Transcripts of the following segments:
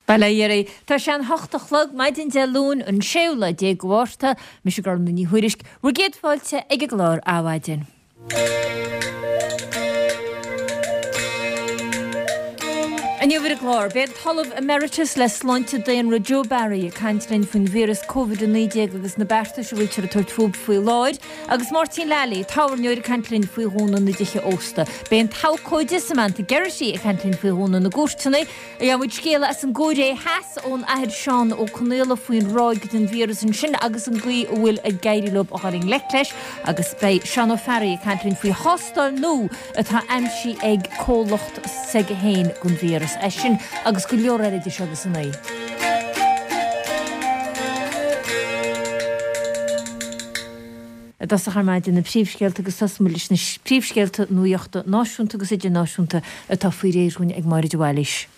Bail ó Dhia oraibh. Tá sé an hocht a chlog, maidin Dé Luain, an séú lá déag de Mhárta. Mise Gormfhlaith Ní Thuairisg, bhur gcéad fáilte ag an gclár Adhmhaidin. Inniu ar an gclár, beidh an tOllamh Emeritus le Sláinte Daonra Joe Barry ag caint linn faoin víreas Covid-19 agus na beartais a bhfuiltear ag tabhairt fúthu faoi láthair, agus Máirtín Lally, tábhairneoir ag caint linn faoi dhúnadh na dtithe ósta. Beidh an t-abhcóide Samantha Geraghty ag caint linn faoi dhúnadh na gcúirteanna. Gheobhaidh muid scéala as an gCóiré Theas ón Athair Seán Ó Conaola faoin ráig den víreas ansin agus an gcaoi a bhfuil ag éirí leo a dhul i ngleic leis agus beidh Seán Ó Fearraigh ag caint linn faoi thástáil nua atá aimsithe ag comhlacht s'aige féin don víreas. É sin agus go leor eile idir seo agus a 9. I dtosach ar maidin na príomhscéalta agus tosóidh muid leis na príomhscéalta nuachta náisiúnta agus idirnáisiúnta atá faoi réir dhúinn ag Máire de Bhailís.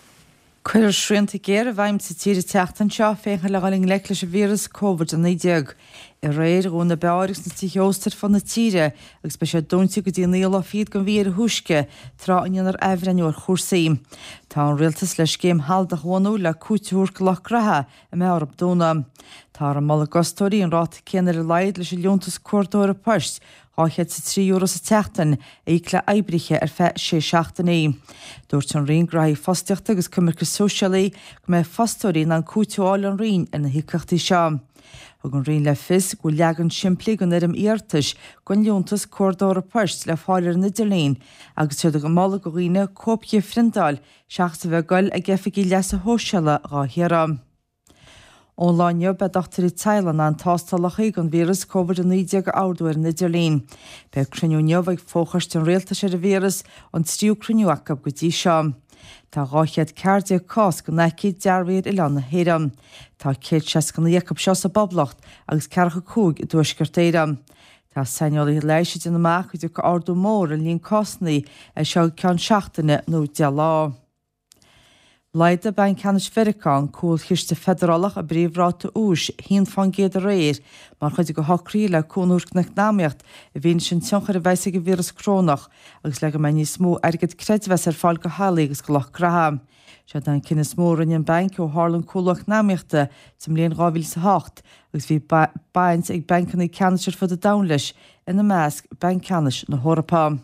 Cuirfear srianta géara i bhfeidhm sa tír an tseachtain seo féachaint le dhul i ngleic leis an víreas Covid-19. Aréir, dhún na beáir agus na tithe ósta ar fud na tíre agus beidh siad dúnta go dtí an naoú lá fichead den mhí ar a thúisce, tráth a ndéanfar athbhreithniú ar chúrsaí. Tá an rialtas le scéim shealadach a bhunú le cúiteamh a thabhairt do lucht gnaithe a mbeidh orthu dúnadh. Táthar ag moladh d'fhostóirí an ráta céanna ar a laghad leis an liúntas cuardaitheora poist, €203 sa tseachtain, a íoc le oibrithe ar feadh sé seachtainí. Dúirt an Roinn Gnóthaí Fostaíochta agus Coimirce Sóisialaí go mbeidh fostóirí in ann cúiteamh a fháil ón Roinn ar na híocaíochtaí seo. Thug an Roinn le fios go bhfuil leagan simplí den fhoirm iarratais don liúntas cuardaitheora poist le fáil ar an idirlíon agus tá siad ag moladh do dhaoine cóip di a phriontáil seachas a bheith ag goil ag oifigí leasa shóisialaigh dhá hiarraidh. Ón lá inniu beidh dochtúirí teaghlaigh in ann tástálacha don víreas Covid-19 a ordú ar an idirlíon. Beidh cruinniú inniu ag fo-choiste an rialtais ar an víreas, an tríú cruinniú acu go dtí seo. Tá 214 cás den aicíd dearbhaithe ar oileán na hÉireann. Tá 169 acu seo sa bPoblacht agus 45 i dTuaisceart Éireann. Tá saineolaithe leighis ag déanamh amach go dtiocfaidh ardú mór ar an líon cásanna as seo go ceann seachtaine nó 10 lá. Laghdaigh Banc Ceannais Mheiriceá, an Cúlchiste Feidearálach, a bpríomhráta úis 1% aréir mar chuid de shocruithe le cúnamh a thabhairt don eacnamaíocht i bhfianaise an tionchair a bheas ag an víreas corónach agus le go mbeidh níos mó airgead creidmheasa ar fáil do theaghlaigh agus do lucht gnaithe. Seo é an cinneadh is mó a rinne an banc ó tharla an cúlú eacnamaíochta sa mbliain 2008 agus bhí baint ag bancanna ceannais ar fud an domhain leis, ina measc Banc Ceannais na hEorpa.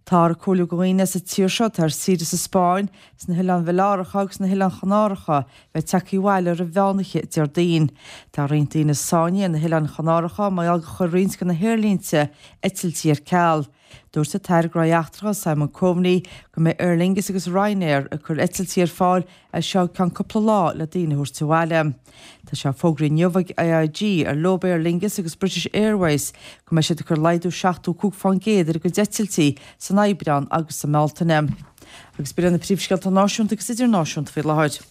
Táthar ag comhairliú do dhaoine as an tír seo atá ar saoire sa Spáinn, sna hOileáin Bhaileáracha agus sna hOileáin Chanáracha bheith tagtha abhaile roimh mheánoíche Déardaoin. Tá roinnt daoine sáinnithe ar na hOileáin Chanáracha mar gheall gur chuir roinnt de na haerlínte eitiltí ar ceal. Dúirt an tAire Gnóthaí Eachtracha Simon Coveney go mbeidh Aer Lingus agus Ryanair ag cur eitiltí ar fáil as seo go ceann cúpla lá le daoine a thabhairt abhaile. Tá sé fógraithe inniu ag AIG, ar leob Aer Lingus agus British Airways, go mbeidh siad ag cur laghdú 75% ar a gcuid eitiltí san Aibreán agus sa mBealtaine. Agus b'in iad na príomhscéalta náisiúnta agus idirnáisiúnta faoi láthair.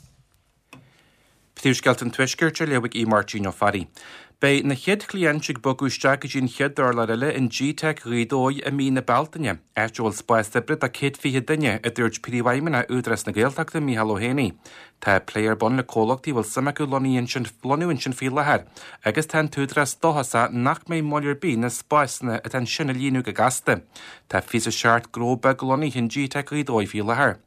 Príomhscéalta an Tuaiscirt á léamh ag Aodh Máirtín Ó Fearraigh. Beidh na chéad chliaint ag bogadh isteach go dtí an chéad urlár eile in G-Teic Ghaoth Dobhair i mí na Bealtaine, áit a bhfuil spás oibre do 120 duine, a dúirt Príomhfheidhmeannach Údarás na Gaeltachta, Micheál Ó hÉanaí. Tá plé ar bun le comhlachtaí a bhfuil suim acu lonnú ansin faoi láthair agus tá an tÚdarás dóchasach nach mbeidh moill ar bith na spásanna atá ansin a líonadh go gasta. Tá 27 gnó beag lonnaithe in G-Teic Ghaoth Dobhair faoi láthair.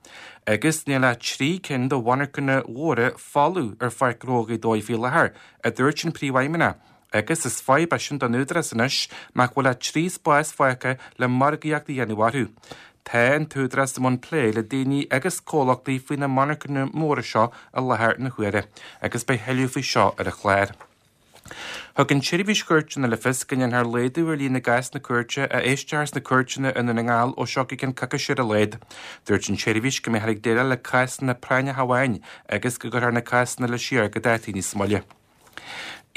Agus níl ach 3 cinn de mhonarchana mhóra folamh ar Pháirc Ghnó Ghaoth Dobhair faoi láthair, a dúirt an Príomhfheidhmeannach, agus is fadhb é sin don Údarás anois nach bhfuil ach 3 spás fágtha le margaíocht a dhéanamh orthu. Tá an tÚdarás i mbun plé le daoine agus comhlachtaí faoi na monarchana móra seo i láthair na huaire agus beidh thuilleadh faoi seo ar an chlár. Thug an tSeirbhís Chúirteanna le fios go ndéanfar laghdú ar líon na gcásanna cúirte a éistfear sna cúirteanna i nDún na nGall ó seo go ceann coicíse ar a laghad. Dúirt an tseirbhís go mbeifear ag déileáil le cásanna práinneacha amháin agus go gcuirfear na cásanna eile siar go dátaí níos moille.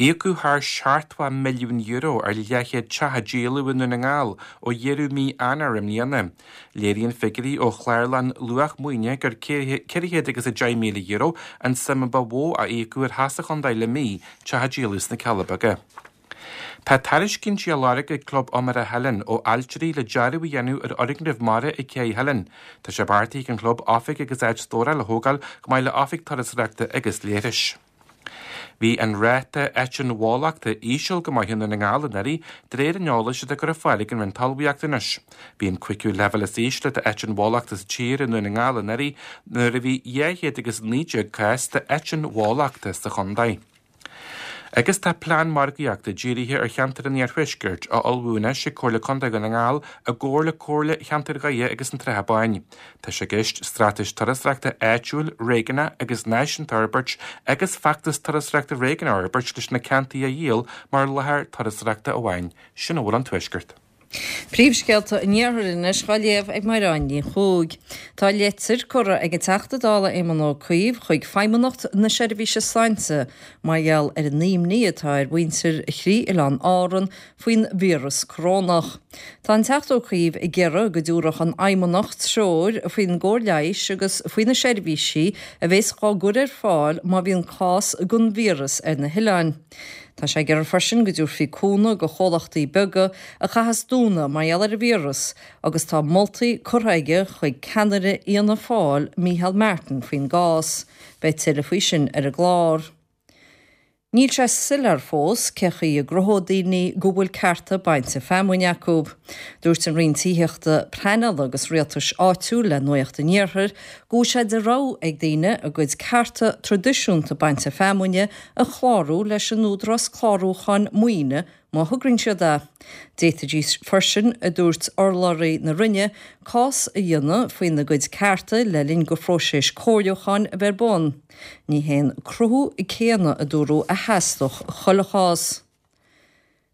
Íocadh thar €70 milliún ar leathchéad teach a díoladh i nDún na nGall ó dheireadh mí Eanáir i mbliana. Léiríonn figiúirí ó Chlárlann Luach Maoine gur €410,000 an tsuim a ba mhó a íocadh ar theach sa chontae le mí, teach a díoladh sna Cealla Beaga. Tá tairiscintí á lorg ag Club Iomaire Theilinn ó ailtirí le dearadh a dhéanamh ar fhoirgneamh mara ag Cé Theilinn. Tá sé beartaithe ag an chlub oifig agus áit stórála a thógáil chomh maith le oifig turasóireachta agus leithris. Bhí an ráta eitinn bhólachta íseal go maith i nDún na nGall anuraidh, de réir an eolais atá curtha ar fáil ag an Roinn Talmhaíochta anois. Bhí an cúigiú leibhéal is ísle d'eitinn bhólachta sa tír i nDún na nGall anuraidh nuair a bhí 219 cás d'eitinn bhólachta sa chontae. Agus tá plean margaíochta dírithe ar cheantar an Iarthuaiscirt á ullmhú anois ag Comhairle Contae Dhún na nGall i gcomhar le Comhairle Cheantar Dhoire agus an tSratha Báin. Tá sé i gceist straitéis turasóireachta áitiúil, réigiúnach agus náisiúnta a fhorbairt agus feachtas turasóireachta réigiúnach a fhorbairt leis na ceantair a dhíol mar láthair turasóireachta amháin. Sin a bhfuil ón Tuaisceart. Príomhscéalta an Iarthair anois á léamh ag Mairéad Ní Chuaig. Tá leitir curtha ag an Teachta Dála Éamon Ó Cuív chuig Feidhmeannacht na Seirbhíse Sláinte mar gheall ar an imní atá ar mhuintir thrí oileán Árann faoin víreas corónach. Tá an Teachta Ó Cuív ag iarraidh go dtabharfadh an Fheidhmeannacht treoir faoin gcóir leighis agus faoi na seirbhísí a bheas á gcur ar fáil má bhíonn cás den víreas ar na hoileáin. Tá sé ag iarraidh freisin go dtabharfaí cúnamh go chomhlachtaí beaga a chaitheas dúnadh mar gheall ar an víreas agus tá moltaí curtha aige chuig ceannaire Fhianna Fáil, Micheál Martin faoin gcás. Beidh tuilleadh faoi sin ar an gclár. Níl sé soiléir fós cé chaoi a gcruthóidh daoine go bhfuil cearta bainte feamainne acu. Dúirt an Roinn Tithíochta, Pleanála agus Rialtais Áitiúil le Nuacht an Iarthair go bhfuil sé de rogha ag daoine a gcuid cearta traidisiúnta bainte feamainne a chlárú leis an Údarás Clárúcháin Maoine má thograíonn siad é. D'fhéadfaidís freisin, a dúirt urlabhraí na Roinne, cás a dhéanamh faoina gcuid cearta le linn go phróiseas comhairliúcháin a bheith ar bun. Ní hé an cruthú céanna, a dúradh, a theastódh chuile chás.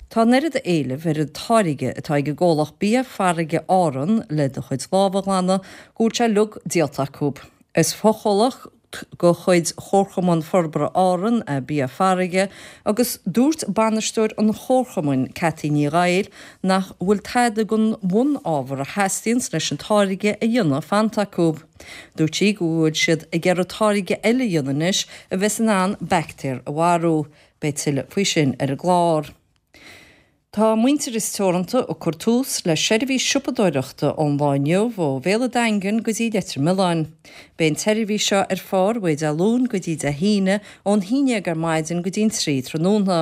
Tá an oiread éilimh ar an táirge atá ag an gcomhlacht Bia Farraige Árann le do chuid lámh a ghlanadh go bhfuil sé uilig díolta acu. Is fochomhlacht de chuid Chomharchumann Forbartha Árann é Bia Farraige agus dúirt bainisteoir an chomharchumainn, Cathy Ní Dhaill, nach bhfuil tada den bhun-ábhar a theastaíonns leis an táirge a dhéanamh fanta acu. Dúirt sí go bhfuil siad ag iarraidh táirge eile a dhéanamh anois a bheas in ann baictéir a mharú. Beidh tuilleadh faoi sin ar an gclár. Tá Muintearas Teoranta ag cur tús le seirbhís siopadóireachta ón lá inniu ó Bhéal an Daingin go dtí Leitir Mealláin. Beidh an tseirbhís seo ar fáil uaidh Dé Luain go dtí Dé hAoine ón 11 ar maidin go dtí an 3 tráthnóna.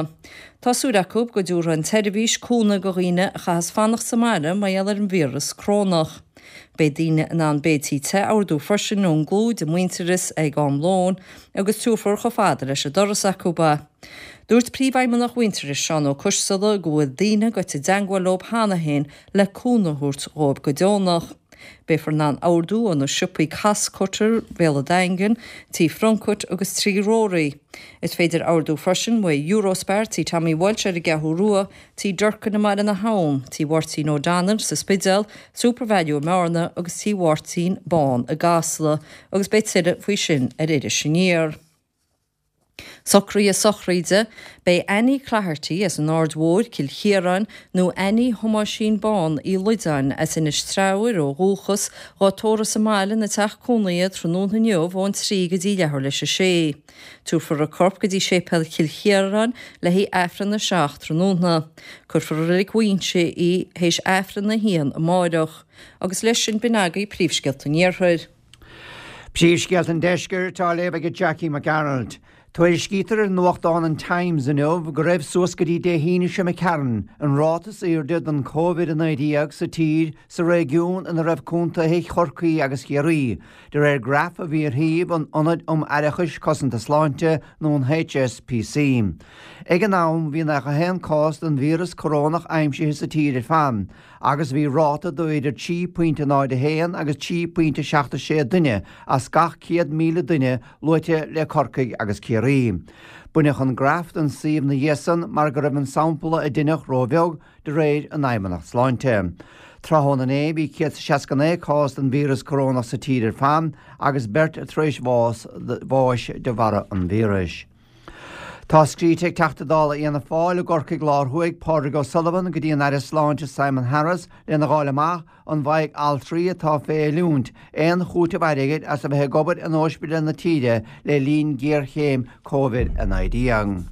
Tá súil acu go dtabharfaidh an tseirbhís cúnamh go dhaoine a chaitheas fanacht sa mbaile mar gheall ar an víreas corónach. Beidh daoine in ann béiltí te a ordú freisin ón gclúid i Muintearas ag am lóin agus tabharfar chomh fada leis an doras acu é. Dúirt Príomhfheidhmeannach Mhuintearais, Seán Ó Coisdealbha, go bhfuil daoine gaibhte i dteangmháil leo cheana féin le cúnamh a thabhairt dhóibh go deonach. Beifear in ann ordú ó na siopaí Costcutter, Béal an Daingin, Tí Phlunkett agus Tí Rory. Is féidir ordú freisin uaidh Eurospar, Tí Tommy Walsh ar an gCeathrú Rua, Tí Durkin i mBaile na hAbhann, Tí Mháirtín O'Donnell sa Spidéal, Supervalu i mBearna agus Tí Mháirtín Bán i gCasla agus beidh tuilleadh faoi sin ar Iris Aniar. Socruithe sochraide, Beidh Annie Cloherty as an Aird Mhóir, Cill Chiaráin, nó Annie Thomáisín Bán Uí Loideáin as Inis Treabhair ó dhúchas, dhá tórramh sa mbaile ina teach cónaithe tráthnóna inniu ón 3 go dtí leathuair leis a sé. Tabharfar a corp go dtí Séipéal Chill Chiaráin le haghaidh Aifreann a 7 tráthnóna. Cuirfear i Reilig Mhuinseo í théis Aifreann a haon amáireach. Agus leis sin b'in agaibh príomhscéalta an Iarthair. Príomhscéalta an Deiscirt á léamh ag Jackie Mac Gearailt. Tuairiscítear ar nuachtán an Times inniu go raibh suas go dtí Dé hAoine seo imigh tharainn an ráta is airde den Covid-19 sa tír sa réigiún ina raibh contaetha Chorcaí agus Chiarraí, de réir graf a bhí ar shuíomh an Ionaid um Fhaireachais Cosanta Sláinte nó an HSPC. Ag an am bhí 91 cás den víreas corónach aimsithe sa tír ar fad. agus bhí ráta de idir 3.01 agus 3.76 duine as gach 100,000 duine luaite le Corcaigh agus Ciarraí. Baineadh an graf den suíomh ina dhiaidh san mar go raibh an sampla a deineadh róbheag de réir an Fheidhmeannacht Sláinte. Tráthnóna inné bhí 169 cás den víreas corónach sa tír ar fad agus beirt tar éis bháis de bharra an víris. Tá scríte ag Teachta Dála Fhianna Fáil i gCorcaigh Lár Thuaidh, Pádraig O'Sullivan, go dtí an Aire Sláinte Simon Harris lena dh'fháil amach an bhfaighidh altraí atá fé oiliúint aon chúiteamh airgid as a bheith ag obair in óispidéil na tíre le linn géarchéim Covid-19.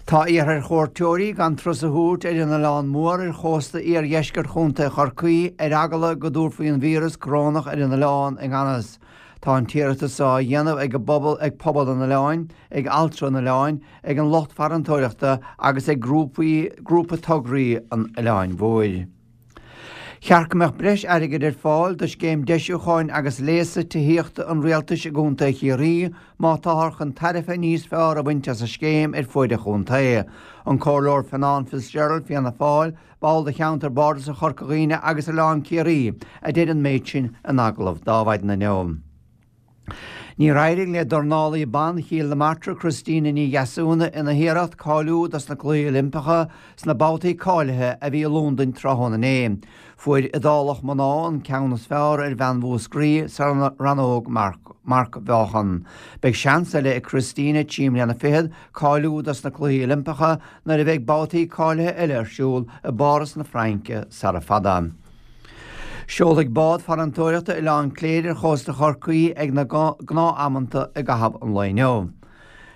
Tá iarrtha ar chuairteoirí gan turas a thabhairt ar an Oileán Mór ar chósta iardheisceart Chontae Chorcaí ar eagla go dtabharfaí an víreas corónach ar an oileán i ngan fhios. Tá an t-iarratas á dhéanamh ag an bpobal, ag pobal an oileáin, ag altra an oileáin, ag an lucht farantóireachta agus ag grúpaí, grúpa tograí an Oileáin Mhóir. Cheart go mbeadh breis airgid ar fáil do scéim deisiúcháin agus léasa tithíochta an rialtais i gContae Chiarraí má táthar chun tairbhe níos fearr a bhaint as an scéim ar fuaid an chontae. An Comhairleoir Fionán Fitzgerald, Fianna Fáil, ball do cheantar Bardasach Chorca Dhuibhne agus Oileán Ciarraí, a deir an méid sin in agallamh d'Adhmhaidin inniu. Níor éirigh le dornálaí ban Chill na Martra Christina Ní Dheasúna ina hiarracht cáiliú dos na Cluichí Oilimpeacha sna babhtaí cáilithe a bhí i Londain tráthnóna inné. Fuair Iodálach mná an ceann is fearr ar bhean Mhúscraí sa rannóg marcmheáchan. Beidh seans eile ag Christina, 3 mbliana fichead, cáiliú dos na Cluichí Oilimpeacha nuair a bheidh babhtaí cáilithe eile ar siúl i bPáras na Fraince sara fada. Seolfaidh bád farantóireachta Oileán Cléire ar chósta Chorcaí ag na gnáth-amanta i gcaitheamh an lae inniu.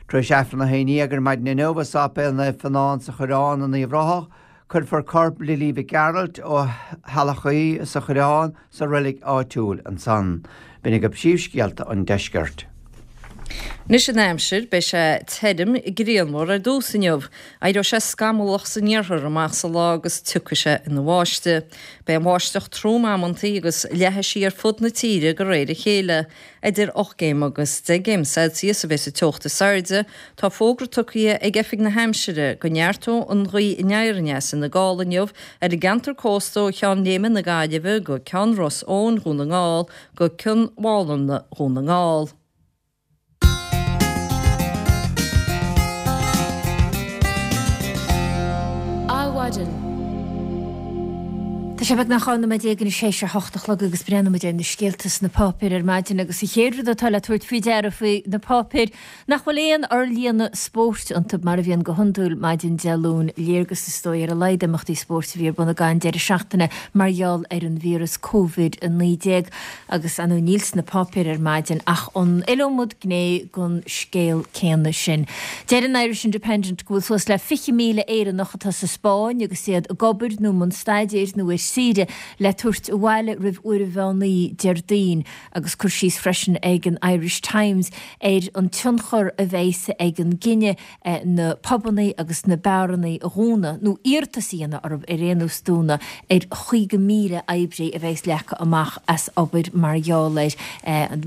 Tar éis Aifreann a haon dhéag ar maidin inniu i Sáipéal Naomh Fionán sa Choireán in Uíbh Ráthach, cuirfear corp Lily Mhic Gearailt ó Theallach Aoidh sa Choireán sa reilig áitiúil ansan. B'in agaibh príomhscéalta an deiscirt. Anois an aimsir, beidh sé tirim, grianmhar ar dtús inniu. Éireoidh sé scamallach san iarthar amach sa lá agus tiocfaidh sé ina bháisteach. Beidh an bháisteach trom amantaí agus leathfaidh sí ar fud na tíre de réir a chéile. Idir 8 gcéim agus 10 gcéim Celsius a bheas an teocht is airde. Tá fógra tugtha ag Oifig na hAimsire go neartóidh an ghaoth aniar aneas ina gála inniu ar an gceantar cósta ó Cheann Léime na Gaillimhe go Ceann Ros Eoin Dhún na nGall go Cionn Mhálanna Dhún na nGall. Adhmhaidin. Tá sé beagnach 12 nóiméad anois théis a hocht a chlog agus breathnóidh muid ar na scéalta sna páipéir ar maidin agus an chéad rud atá le tabhairt faoi deara faoi na páipéir nach bhfuil aon fhorlíonadh spóirt iontu mar a bhíonn go hiondúil maidin Dé Luain, léargas is dóigh ar a laghad imeachtaí spóirt a bhí ar bun ag an deireadh seachtaine mar gheall ar an víreas Covid-19. Agus ar ndóigh níl sna páipéir ar maidin ach an iliomad gné den scéal céanna sin. Deir an Irish Independent go bhfuil suas le 20,000 Éireannach atá sa Spáinn agus iad ag obair nó i mbun staidéir nó ar saoire le tabhairt abhaile roimh uair an mheán oíche Déardaoin agus cur síos freisin ag an Irish Times ar an tionchar a bheas ag an gcinneadh na pubannaí agus na beárannaí a dhúnadh, nó iarratas a dhéanamh orthu ar aon nós dúnadh, ar 50,000 oibrí a bheas leagtha amach as obair mar gheall air.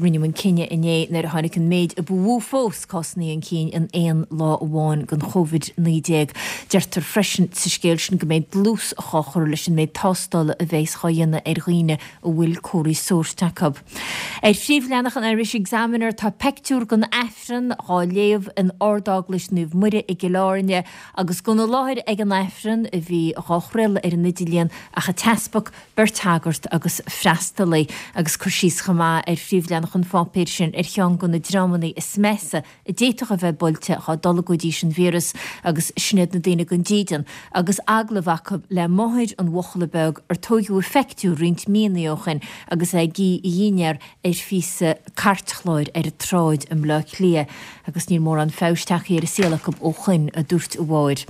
Rinneadh an cinneadh inné nuair a tháinig an méid a ba mhó fós cásanna chun cinn in aon lá amháin den Chovid-19. Deirtear freisin sa scéal sin go mbeidh dlús á chur leis an méid tástála a bheas á dhéanamh ar dhaoine a bhfuil comharthaí sóirt acu. Ar phríomhleathanach an Irish Examiner tá peictiúr den Aifreann dhá léamh in Ard-Eaglais Naomh Muire i gCill Airne agus gan i láthair ag an Aifreann, a bhí dhá chraoladh ar an idirlíon, ach an t-easpag, beirt shagart agus freastalaí. Agus cur síos chomh maith ar phríomhleathanach an pháipéir sin ar cheann de na dreamanna is measa a d'fhéadfadh a bheith buailte dhá dtolgfaidís an víreas agus sin iad na daoine gan dídean agus agallamh acu le máthair an bhuachalla beag ar tóigeadh a pheictiúr roinnt míonna ó shin agus é ag ithe a dhinnéar ar phíosa cairtchláir ar an tsráid i mBleá Cliath agus níl mórán feabhais tagtha ar an saol acu ó shoin, a dúirt a mháthair.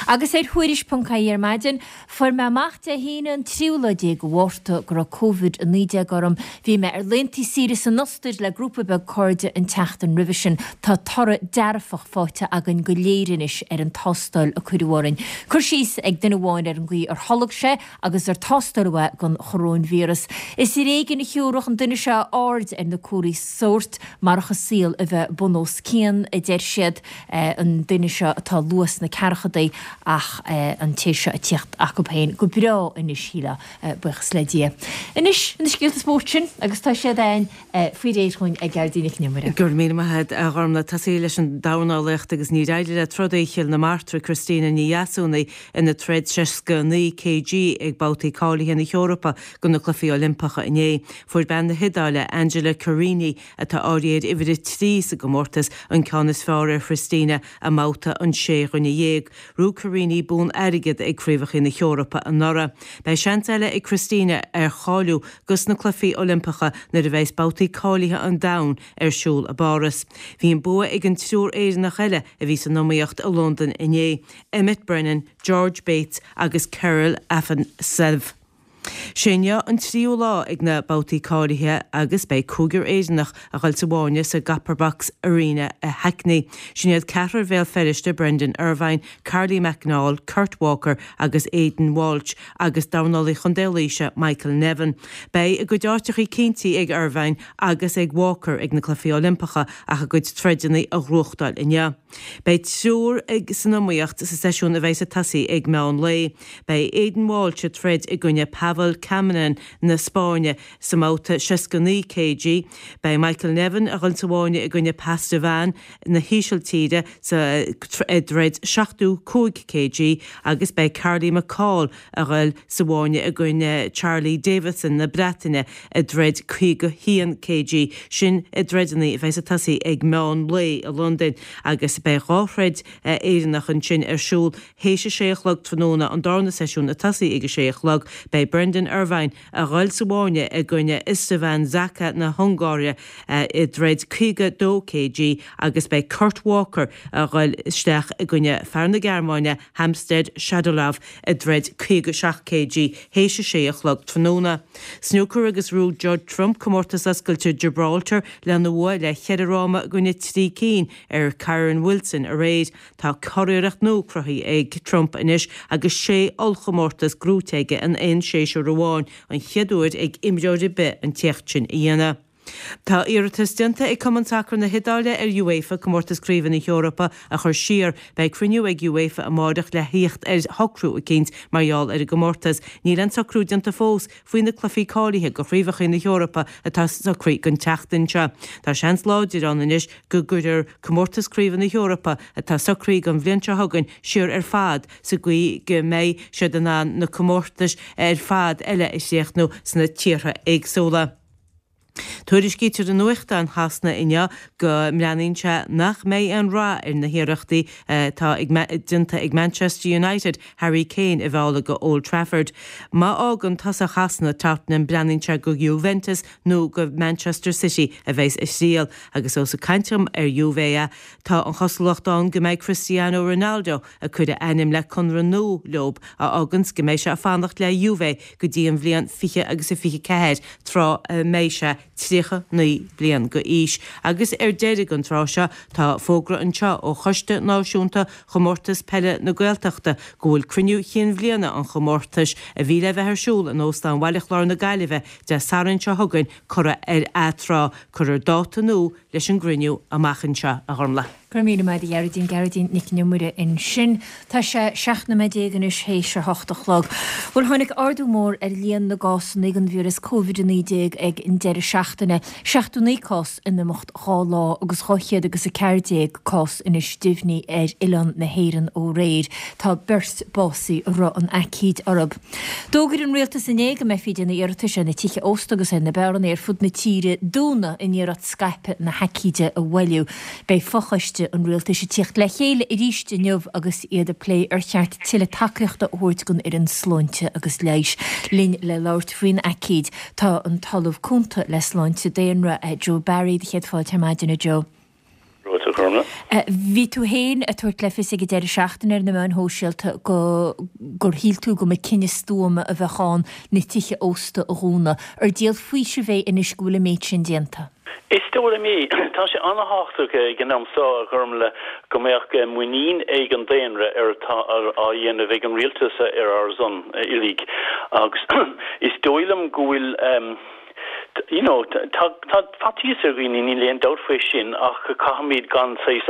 Agus ar Thuairisc.ie ar maidin, fuair mé amach Dé hAoine an tríú lá déag de Mhárta go raibh Covid-19 orm. Bhí mé ar laethanta saoire san Ostair le grúpa beag cairde an tseachtain roimhe sin. Tá toradh dearfach faighte againn go léir anois ar an tástáil a cuireadh orainn. Cur síos ag duine amháin ar an gcaoi ar tholg sé agus ar tástáladh é don choróinvíreas. Is ar éigean a thiúrfadh an duine seo aird ar na comharthaí sóirt marach a saol a bheith bun os cionn, a deir siad, an duine seo atá luath sna ceathrachadaí ach an té seo ag tíocht acu féin go breá anois, shílfeá, buíochas le Dia. Anois, na scéalta spóirt sin agus tá siad againn faoi réir chugainn ag Gearóidín Nic Con Iomaire. Go raibh míle maith agat, a Ghormlaith. Tosaí leis an dornálaíocht agus níor éirigh le trodaí Chill na Martra, Christina Ní Dheasúnaigh, ina troid 69 kg ag babhtaí cáilithe na hEorpa do na Cluichí Oilimpeacha inné. Fuair bean na hIodáile, Angela Carini, atá áirithe ar uimhir a 3 sa gcomórtas, an ceann is fearr ar Christina i mbabhta an sé dhuine dhéag. Ghnóthaigh Carini bonn airgid ag Craobhacha na hEorpa anuraidh. Beidh seans eile ag Christina ar cháiliú dos na Cluichí Oilimpeacha nuair a bheas babhtaí cáilithe an domhain ar siúl i bPáras. Bhí an bua ag an triúr Éireannach eile a bhí san iomaíocht i Londain inné, Emmet Brennan, George Bates agus Kirill Afanasyev. Sé inniu an tríú lá ag na babhtaí cáilithe agus beidh cúigear Éireannach a dhul sa bhfáinne sa gCopper Box Arena i Hackney. Sin iad ceathrar Bhéal Feirste, Brendan Irvine, Carly McNaul, Kurt Walker agus Aidan Walsh agus dornálaí Chontae Laoise, Michael Nevin. Beidh a gcuid áiteachaí cinntí ag Irvine agus ag Walker ag na Cluichí Oilimpeacha ach a gcuid troideanna a ghnóthachtáil inniu. Beidh triúr san iomaíocht sa seisiún a bheidh ag tosaí ag meán lae. Beidh Aidan Walsh ag troid i gcoinne Pavel Caminán na Spáinne sa mbabhta 69 kg. Beidh Michael Nevin a dhul sa bhfáinne i gcoinne Padovan na hÍsiltíre sa dtroid 75 kg agus beidh Carly McCaul a dhul sa bhfáinne i gcoinne Charlie Davison na Breataine i dtroid 51 kg. Sin na troideanna a bheas ag tosaí ag meán lae i Londain agus beidh 2 throid Éireannach ansin ar siúl théis a sé a chlog tráthnóna, an darna seisiún ag tosaí ag a sé a chlog. Beidh Brendan Irvine a dhul sa bhfáinne i gcoinne Istvan Szaka na hUngáire i dtroid 52 kg agus beidh Kurt Walker a dhul isteach i gcoinne fear na Gearmáine Hamzat Shadalov i dtroid 57 kg théis a sé a chlog tráthnóna. Snúcar agus ghnóthaigh Judd Trump comórtas oscailte Gibraltar lena bhua le cheithre fhráma i gcoinne 3 cinn ar Kyren Wilson aréir. Tá curiarracht nua cruthaithe ag Trump anois agus sé ollchomórtas gnóite aige in aon séasúr amháin, an chéad uair ag imreoir ar bith an t-éacht sin a dhéanamh. Tá iarratas déanta ag Cumann Sacair na hIodáile ar UEFA comórtas craoibhe na hEorpa a chur siar. Beidh cruinniú ag UEFA amáireach le thíocht ar shocrú eicínt mar gheall ar an gcomórtas. Níl aon socrú déanta fós faoi na cluichí cáilithe do chraobhacha na hEorpa atá socraithe don tseachtain seo. Tá seans láidir ann anois go gcuirfear comórtas craoibhe na hEorpa atá socraithe don bhliain seo chugainn siar ar fad sa gcaoi go mbeidh siad in ann na comórtais ar fad eile a chríochnú sna tíortha éagsúla. Tuairiscítear i nuachtáin Shasana inniu go mbreathnaíonn sé nach mbeidh aon rath ar na hiarrachtaí atá déanta ag Manchester United Harry Kane a mhealladh go Old Trafford. Má fhágann tosach Shasana Tottenham breathnaíonn sé go Juventus nó go Manchester City a bheas a thriall agus ós ag caint dom ar Juve tá an chosúlacht ann go mbeidh Cristiano Ronaldo ag cur a ainm le conradh nua leob a fháganns go mbeidh sé ag fanacht le Juve go dtí an bhliain 20 agus a 24 tráth a mbeidh sé 39 bliain go aois. Agus ar deireadh an tráth seo tá fógra anseo ó Choiste Náisiúnta Chomórtas Peile na Gaeltachta go bhfuil cruinniú chinn bhliana an chomórtais, a bhí le bheith ar siúl in Óstán Bhaile Chláir na Gaillimhe Dé Sathairn seo chugainn, curtha ar atráth. Cuirfear dáta nua leis an gcruinniú amach anseo, a Ghormlaith. Go raibh míle maith agat a Ghearóidín, Gearóidín Nic an Iomaire ansin. Tá sé 17 nóiméad anois théis a hocht a chlog. Bhuel, tháinig ardú mór ar líon na gcásanna den víreas Covid-19 ag an deireadh seachtaine, 79 cás in imeacht 2 lá agus 200 agus 14 cás anois deimhnithe ar oileán na hÉireann ó aréir. Tá beirt básaithe a raibh an aicíd orthu. D'fhógair an rialtas inné go mbeifí ag déanamh iarratais ar na tithe ósta agus ar na beáranna ar fud na tíre dúnadh in iarracht scaipeadh na haicíde a mhoilliú. Beidh fochoiste an rialtais ag tíocht le chéile arís inniu agus iad ag plé ar cheart tuilleadh tacaíochta a thabhairt don fhoireann sláinte agus leighis. Linn le labhairt faoin aicíd tá an tOllamh Cúnta le Sláinte Daonra, Joe Barry. Do chéad fáilte ar maidin, a Joe. Romhat a Ghormlaith. Bhí tú féin ag tabhairt le fios ag an deireadh seachtaine ar na meáin shóisialta go gur shíl tú go mba cinneadh stuama a bheadh ann na tithe ósta a dhúnadh. Ar díol faoisimh é anois go bhfuil an méid sin déanta? Is dóigh liom é. Tá sé an-thábhachtach ag an am seo, a Ghormlaith, go mbeadh muinín ag an daonra ar atá á dhéanamh ag an rialtas ar ár son uilig. Agus is dóigh liom go bhfuil, you know, tá faitíos ar dhaoine, níl aon dabht faoi sin, ach caithfimid gan saghas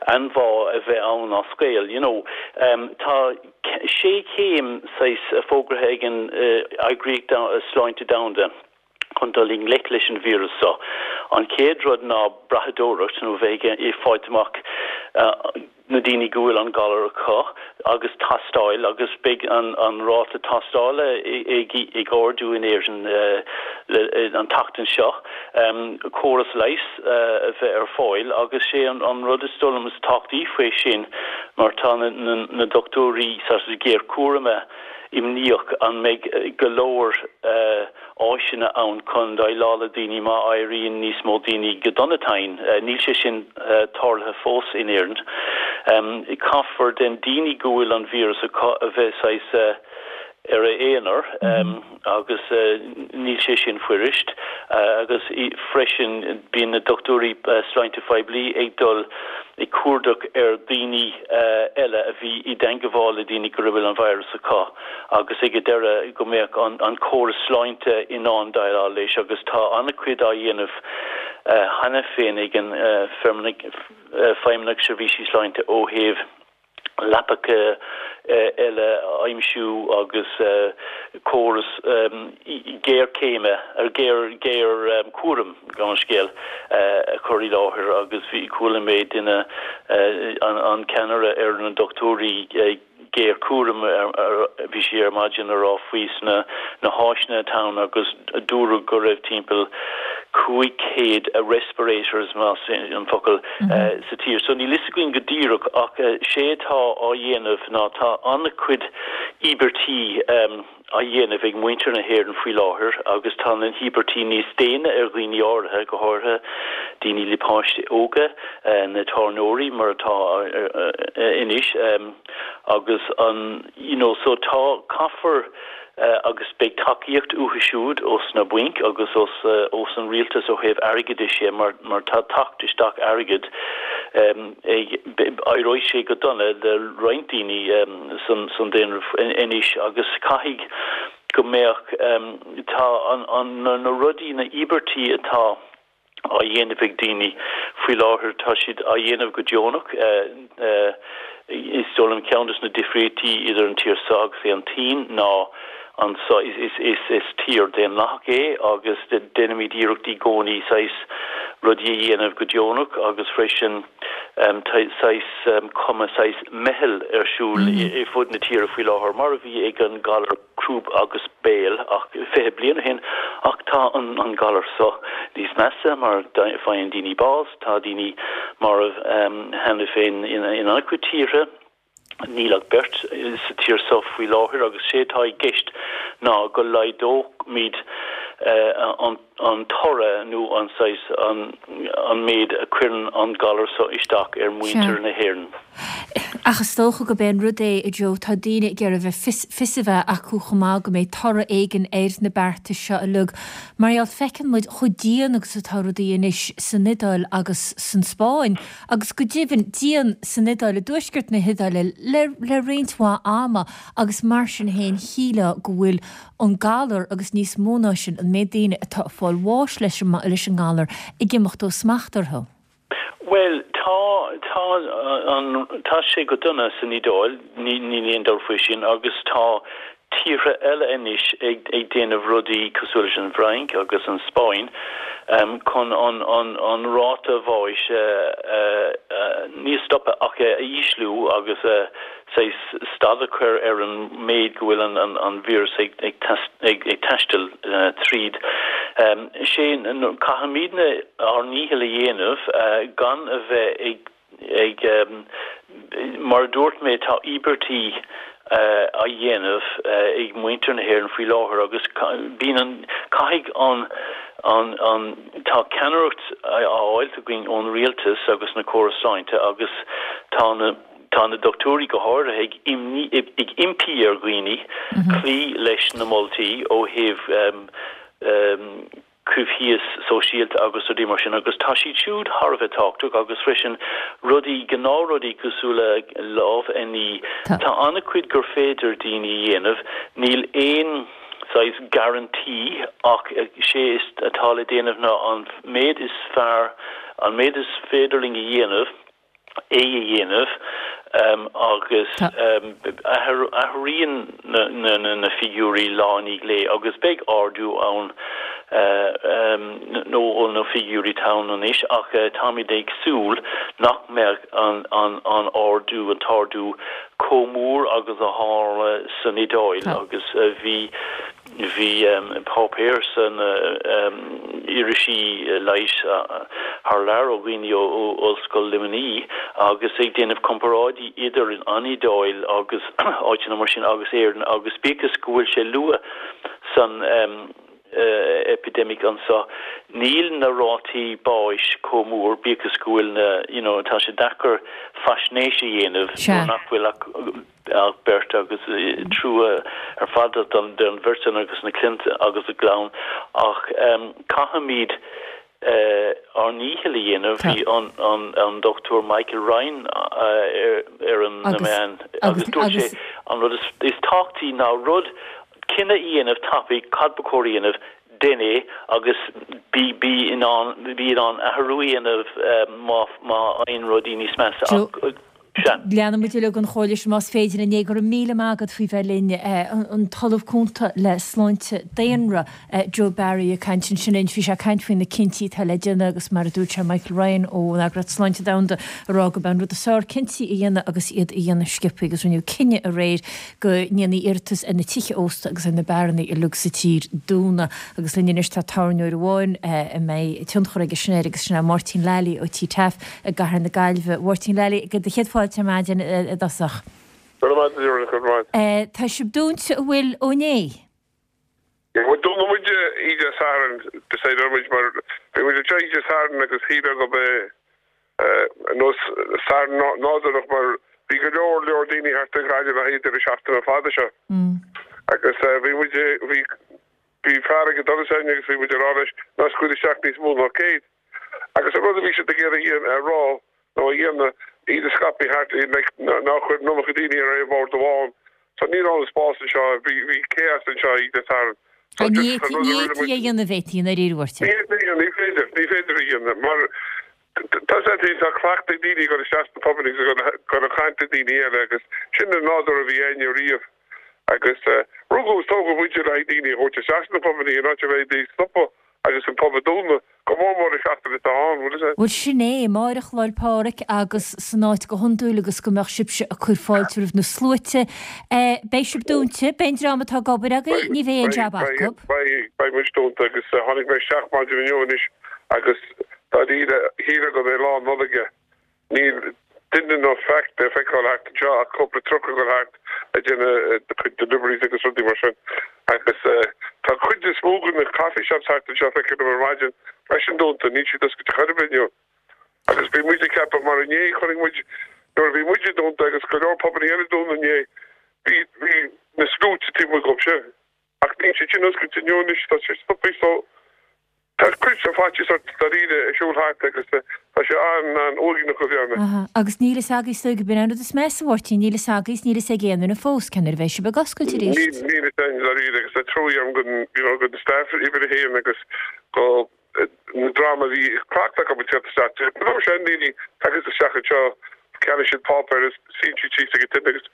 anbhá a bheith ann as gaol, you know. Tá sé chéim saghas fógraithe ag an Eagraíocht Sláinte Domhanda chun dul i ngleic leis an víreas seo. An chéad rud ná brathadóireacht, nó bheith ag fáilt amach na daoine go bhfuil an galar acu agus tástáil agus beidh an ráta tástála ag ardú in Éirinn an tseachtain seo, córas leighis a bheith ar fáil agus sé an rud is dóigh liom is tábhachtaí faoi sin mar tá na dochtúirí géarchúraim imníoch an mbeidh go leor áiseanna ann chun déileáil le daoine má éiríonn níos mó daoine go dona tinn. Níl sé sin tarlaithe fós in Éirinn. Caithfear den daoine go bhfuil an víreas acu a bheith saghas. Ar a aonar agus níl sé sin fuirist agus freisin bíonn na dochtúirí sláinte phoiblí ag dul ag cuardach ar daoine eile a bhí i dteangabháil le daoine go raibh an virus acu agus ag an deireadh go mbeadh an córas sláinte in ann déileáil leis agus tá an-chuid á dhéanamh cheana féin ag an Feidhmeannacht Seirbhísí Sláinte ó thaobh leapacha eile a aimsiú agus córas géarchéime, géarchúraim, gabh mo leithscéal, a chur i láthair agus bhí, chuala mé duine, an ceannaire ar na dochtúirí géarchúraim, bhí sé ar maidin a rá faoi sna na háiseanna atá ann agus dúradh go raibh timpeall 500 respirators, más an focal, sa tír. So níl fhios againn go díreach ach sé atá á dhéanamh ná tá an-chuid íobairtí á dhéanamh ag muintir na hÉireann faoi láthair agus tá na híobairtí níos déine ar dhaoine áirithe, go háirithe daoine le páistí óga, na tábhairneoirí mar atá anois agus an you know so tá, caithfear agus beidh tacaíocht uathu siúd ós na bainc agus ós ós an rialtas ó thaobh airgeadais dhe mar mar tá teacht isteach airgid ag éireoidh sé go dona le roinnt daoine san san daonra anois agus caithfidh go mbeadh tá an an na rudaí na íobairtí atá á dhéanamh ag daoine faoi láthair, tá siad á dhéanamh go deonach. Is dóigh liom ceann de na difríochtaí idir an tír seo agus an tSín ná anso is tír daonlathach é agus déanaimid iarracht i gcónaí saghas rudaí a dhéanamh go deonach agus freisin saghas cuma saghas meitheal ar siúl i fud na tíre faoi láthair mar a bhí ag an galar crúb agus béil ach 20 bliain ó shin ach tá an galar seo níos measa mar faigheann daoine bás, tá daoine marbh cheana féin in an-chuid tíortha. Níl ach beirt sa tír seo faoi láthair agus sé atá i gceist ná go laghdóimid an an toradh nó an saghas, an méid a chuireann an galar seo isteach ar mhuintir na hÉireann. Ach is dócha gurb é an rud é, a Joe, tá daoine ag iarraidh bheith fios, fios a bheith acu chomh maith go mbeidh toradh éigin ar na beartais seo uilig. Mar gheall, feiceann muid chomh dian agus atá rudaí anois san Iodáil agus san Spáinn, agus go deimhin, dian san Iodáil, i dtuaisceart na hIodáile, le, le roinnt mhaith ama agus mar sin féin shílfeá go bhfuil an galar agus níos mó ná sin, an méid daoine atá ag fáil bháis leis an leis an ngalar ag imeacht ó smacht orthu. Bhuel, tá, tá an, tá sé go dona san Iodáil, ní, níl aon dabht faoi sin, agus tá tíortha eile anois ag, ag déanamh rudaí cosúil leis an bhFrainc agus an Spáinn chun an, an, an ráta bháis a, a, a, ní a stopadh ach a ísliú agus a, saghas stad a chur ar an méid go bhfuil an víreas ag taisteal tríd. Sé, caithfimidne ár ndícheall a dhéanamh gan a bheith ag, mar a dúirt mé, tá íobairtí á dhéanamh ag muintir na hÉireann faoi láthair agus bíonn an, caithfidh an, an, tá ceannaireacht á fháilt againn ón rialtas agus na córais sláinte agus tá na. Tá na dochtúirí go háirithe ag imní, ag impí ar dhaoine cloí leis na moltaí ó thaobh coimhthíos sóisialta agus rudaí mar sin agus tá siad siúd thar a bheith tábhachtach agus freisin rudaí, gnáthrudaí cosúil le lámh a ní. Tá an-chuid gur féidir daoine a dhéanamh. Níl aon saghas guarantee ach sé is atá le déanamh ná an méid is fearr, an méid is féidir linn a dhéanamh. é a dhéanamh agus athraíonn na figiúirí lá i ndiaidh lae agus beidh ardú ann nó ó na figiúirí atá ann anois ach táimid ag súil nach mbeadh an ardú, an t-ardú chomh mór agus a tharla san Iodáil agus bhí Bhí páipéir san irisí leighis thar lear ó dhaoine ó Ollscoil Luimnigh agus ag déanamh comparáidí idir an Iodáil agus áiteanna mar sin agus Éirinn agus bíodh is go bhfuil sé luath san epidemic anso níl na rátaí báis chomh mór bíodh is go bhfuil na you know tá sé deacair faisnéis a dhéanamh nuair nach bhfuil ach. ach beirt agus trua ar fad don bheirt san agus na cliant agus a gclann ach caithfimid ár ndícheall a dhéanamh. Bhí an Dr Michael Ryan ar na meáin agus dúirt sé an rud is tábhachtaí ná rud, cinneadh a dhéanamh tapaidh cad ba chóir a dhéanamh, déan é agus bí bí in ann bí in ann athrú a dhéanamh má má éiríonn rudaí níos measa ach sea. Leanfaidh muid uilig an chomhairle sin más féidir linn é. Go raibh míle maith agat faoi bheith linn. An tOllamh Cúnta le Sláinte Daonra, Joe Barry ag caint ansin linn. Bhí sé ag caint faoi na cinntí atá le déanamh agus mar a dúirt sé Michael Ryan ón Eagraíocht Sláinte Domhanda ag rá gurb é an rud is fearr cinntí a dhéanamh agus iad a dhéanamh sciobtha agus rinneadh cinneadh aréir go ndéanfaí iarratas ar na tithe ósta agus ar na beáranna uilig sa tír dúnadh. Agus linn anois tá tábhairneoir amháin a mbeidh tionchar aige sin air agus sin é Máirtín Lally ó Tí Taaffe i gcathair na Gaillimhe. Mháirtín Lally, do chéad fáilte ar maidin i dtosach. Go raibh maith agat, go raibh maith. Tá sibh dúnta an bhfuil ó inné? Bhuel, dúnadh muid oíche Dé Sathairn, decide muid mar bhí muid anseo oíche Dé Sathairn agus shílfeá gurb é nós Satharn nádúrach mar bhí go leor leor daoine thart i nGaillimh le haghaidh deireadh seachtaine fada seo. Agus bhí muid, bhí, bhí fear ag an doras againn agus bhí muid ag rá leis ná scaoil isteach níos mó ná 100. Agus an rud a bhí siad ag iarraidh a rá nó a dhéanamh, iad a scaipeadh thart, like, ná cuir an iomarca daoine ar aon bhord amháin. So ní raibh an spás anseo, bhí, bhí chaos anseo oíche Dé Sathairn. So Ní just an rud a rinne muid. fhéadfaí a dhéanamh, fhéadfaí, i ndáiríre, a Mháirtín. Ní fhéadfaí a dhéanamh, ní féidir, ní féidir a dhéanamh mar tá a fhios agat féin, tá cleachtadh ag daoine ag dul isteach sna pubanna agus ag dul ag caint le daoine eile agus sin an nádúr a bhí againne riamh. Agus rugadh agus tógadh muide le haghaidh daoine a thabhairt isteach sna pubanna in áit a bheith ag stopadh agus an pub a dúnadh, go mór mór an seachtain atá ann, bhfuil fhios a'd. Bhuel sin é, amáireach Lá 'le Pádraig agus san áit go hiondúil agus go mbeadh sibhse ag cur fáilte roimh na sluaite. Beidh sibh dúnta, beidh an dream atá ag obair agaibh, ní bheidh aon jab acu. Beidh, beidh muid dúnta agus tháinig mé isteach maidin inniu anois agus dáiríre, shílfeá gurb é lá Nollag é. Níl duine ná faic le feiceáil thart anseo ach cúpla truck ag dul thart ag déanamh a cuid deliveries agus rudaí mar sin. Agus tá cuid is mó de na coffee shops thart anseo, feicim ar maidin, freisin dúnta, níl siad oscailte chor ar bith inniu. Agus bhí muid ag ceapadh, mar inné chonaic muid, nuair a bhí muide dúnta agus go leor pubanna eile dúnta inné, bhí, bhí na sluaite taobh amuigh dhóibh sin. Ach níl siad sin oscailte inniu anois, tá sé stoptha so tá cuid de faitíos ort dáiríre ag siúl thart agus tá sé an-an-uaigneach a bheith ann. Agus níl fhios agaibh is dóigh, b'in an rud is measa, a Mháirtín, níl fhios agaibh is níl fhios ag aon duine fós cén uair a bheidh sibh ag oscailt arís. Níl, níl fhios againn dáiríre agus tá trua agam don, you know, don staff uimhir a haon agus do an dream a bhí cleachtadh acu ag teacht isteach. De na seandaoine tagann isteach anseo, ceannaíonn siad páipéar agus suíonn siad síos ag an tine agus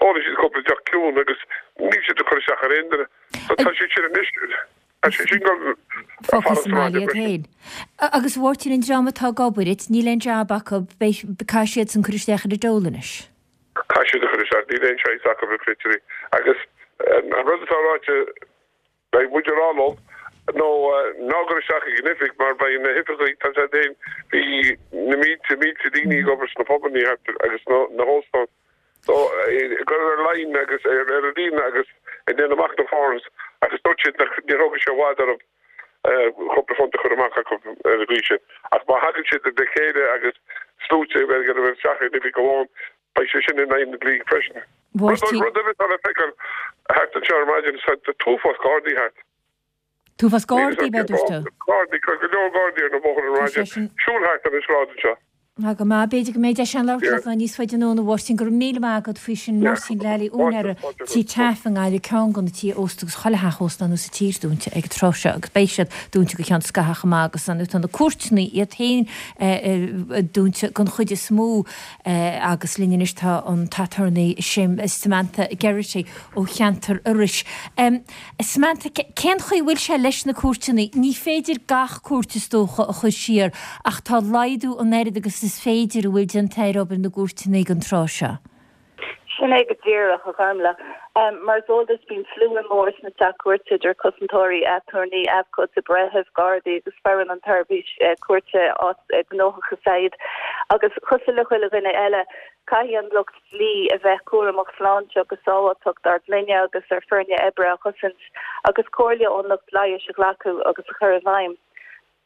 ólann siad cúpla deoch ciúin agus níl siad ag cur isteach ar aon duine. So tá siad sin anois, tá siad sin ag Fágtha sa mbaile iad féin. Agus a Mháirtín, an dream atá ag obair duit, níl aon jab acu, beidh, caithfidh siadsan cur isteach ar an dole anois. Caithfidh siad a chur isteach, níl aon choice acu na créatúirí. Agus an rud atá ráite, Beidh muid ag rá leo nó ná gabh isteach ag an oifig mar beidh na hoifigigh, tá siad féin, bhí na mílte, mílte daoine ag obair sna pubannaí thart agus na hóstáin. So, ag dul ar line agus ar ar líne agus ag déanamh amach na forms agus dúirt siad nach ní thógfaidh sé i bhfad orthu cúpla phunt a chur amach acu ar an gcaoi sin. Ach má thagann siad le chéile agus sluaite a bheith ag dul isteach in oifig amháin, Beidh sé sin in aghaidh na dlí freisin. Mháirtín. Rud eile atá le feiceáil thart anseo ar maidin, tá an t-uafás gardaí thart. T-uafás gardaí, ab ea a dúirt tú? Gardaí, go leor gardaí ar na bóithre ar maidin. Siúl thart ar an sráid anseo. Tá go maith. B'fhéidir go mbeidh deis againn labhairt leat níos faide anonn, a Mháirtín. Go raibh míle maith agat faoi sin. Máirtín Lally, úinéara Tí Taaffe i nGaillimh, ceann de na tithe ósta agus chuile theach ósta anuas sa tír dúnta ag an tráth seo agus beidh siad dúnta go ceann scaithimh chomh maith agus tá na cúirteanna iad féin dúnta den chuid is mó. Agus linn anois tá an t-aturnae Samantha Geraghty ó cheantar Iorrais. Samantha, cén chaoi a bhfuil sé leis na cúirteanna? Ní féidir gach cúirt is dócha a chur siar ach tá laghdú an oiread agus is féidir a bhfuil déanta ar obair na gcúirteanna ag an tráth seo. Sin é go díreach, a Ghormlaith. Mar is eol duit, bíonn slua mór sna Teach Cúirte idir cosantóirí, aturnaí, abhcóide, breithimh, gardaí agus foireann an tseirbhís cúirte, áit gnóthach is ea iad. Agus cosúil le chuile dhuine eile, caithfidh an lucht dlí a bheith cúramach sláinte agus sábháilteacht ár gclainne agus ár foirne oibre a chosaint agus comhairle ón lucht leighis a ghlacadh agus a chur i bhfeidhm.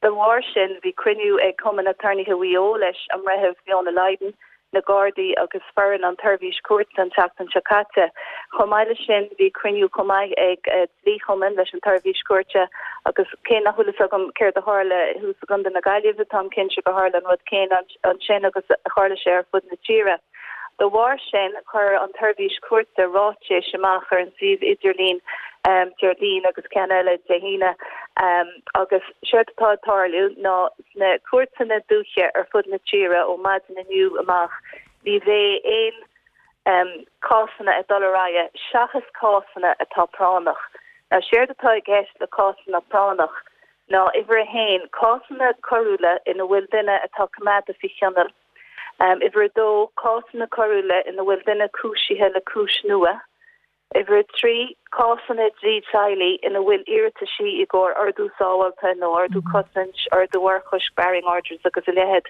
Dá bharr sin, bhí cruinniú ag Cumann Aturnaetha Mhaigh Eo leis an mBreitheamh Fiona Lydon. Na Gardaí agus foireann an tSeirbhís Cúirte an tseachtain seo caite. Chomh maith leis sin, bhí cruinniú chomh maith ag dlí-chumann leis an tSeirbhís Cúirte agus cé nach bhfuil fhios agam céard a tharla thuas i gContae na Gaillimhe, táim cinnte gur tharla an rud céanna ansin agus tharla sé ar fud na tíre. De bharr sin, chuir an tSeirbhís Cúirte ráitéis amach ar an suíomh idirlín Déardaoin agus ceann eile Dé hAoine agus séard atá ag tarlú ná Sna cúirteanna dúiche ar fud na tíre ó maidin inniu amach ní bheidh aon cásanna ag dul ar aghaidh seachas cásanna atá práinneach. Now séard atá i gceist le cásanna práinneach ná uimhir a haon, cásanna coiriúla ina bhfuil duine atá coimeádta faoi choinneáil, uimhir a dó, cásanna coiriúla ina bhfuil duine cúisithe le cúis nua, Uimhir 3, Cásanna dlí teaghlaigh ina bhfuil iarrataisí i gcomhair ordú sábhálta nó ordú cosaint, ordú urchoisc, barring orders agus a leithéid,